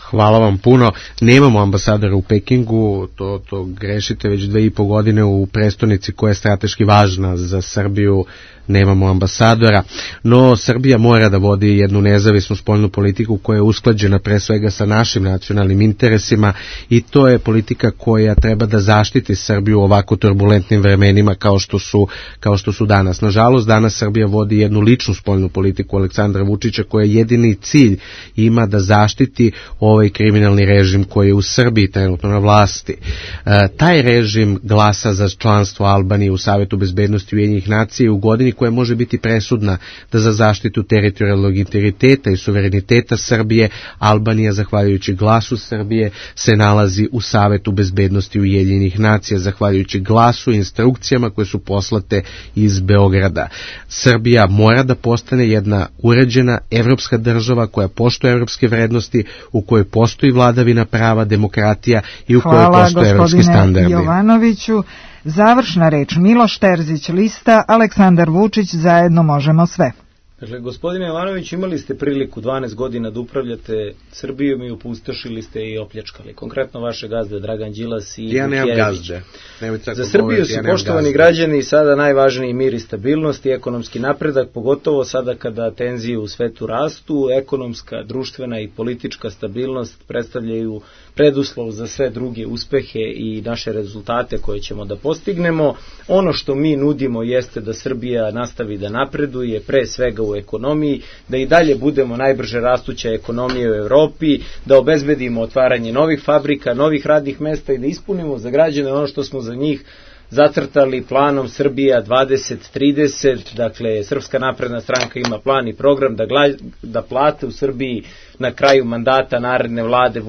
Hvala vam puno. Nemamo ambasadora u Pekingu, to, to grešite, već dve i po godine u prestonici koja je strateški važna za Srbiju nemamo ambasadora, no Srbija mora da vodi jednu nezavisnu spoljnu politiku koja je usklađena pre svega sa našim nacionalnim interesima i to je politika koja treba da zaštiti Srbiju u ovako turbulentnim vremenima kao što su, kao što su danas. Nažalost, danas Srbija vodi jednu ličnu spoljnu politiku Aleksandra Vučića koja jedini cilj ima da zaštiti ovaj kriminalni režim koji je u Srbiji trenutno na vlasti. E, taj režim glasa za članstvo Albanije u Savetu bezbednosti Ujedinjenih nacija u godini koja može biti presudna da za zaštitu teritorijalnog integriteta i suvereniteta Srbije Albanija, zahvaljujući glasu Srbije, se nalazi u Savetu bezbednosti Ujedinjenih nacija, zahvaljujući glasu i instrukcijama koje su poslate iz Beograda. Srbija mora da postane jedna uređena evropska država koja poštuje evropske vrednosti, u kojoj postoji vladavina prava, demokratija i u kojoj postoje evropski standardi. Hvala gospodine Jovanoviću. Završna reč Miloš Terzić, lista Aleksandar Vučić, zajedno možemo sve. Dakle, gospodine Jovanović, imali ste priliku dvanaest godina da upravljate Srbijom i opustošili ste i opljačkali. Konkretno vaše gazde Dragan Đilas i ja nemam gazde. Za Srbiju su, poštovani gazde. Građani, sada najvažniji mir i stabilnost i ekonomski napredak, pogotovo sada kada tenzije u svetu rastu, ekonomska, društvena i politička stabilnost predstavljaju preduslov za sve druge uspehe i naše rezultate koje ćemo da postignemo. Ono što mi nudimo jeste da Srbija nastavi da napreduje, pre svega u ekonomiji, da i dalje budemo najbrže rastuća ekonomija u Evropi, da obezbedimo otvaranje novih fabrika, novih radnih mesta i da ispunimo za građane ono što smo za njih zacrtali planom Srbija dvadeset trideset, dakle Srpska napredna stranka ima plan i program da, gla, da plate u Srbiji na kraju mandata naredne vlade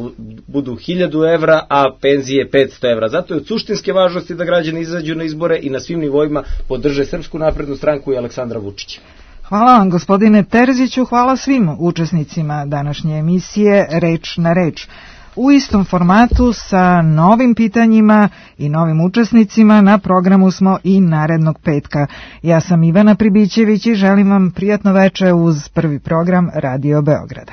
budu hiljadu evra, a penzije petsto evra. Zato je od suštinske važnosti da građani izađu na izbore i na svim nivoima podrže Srpsku naprednu stranku i Aleksandra Vučića. Hvala vam gospodine Terziću, hvala svim učesnicima današnje emisije Reč na reč. U istom formatu sa novim pitanjima i novim učesnicima na programu smo i narednog petka. Ja sam Ivana Pribićević i želim vam prijatno veče uz prvi program Radio Beograda.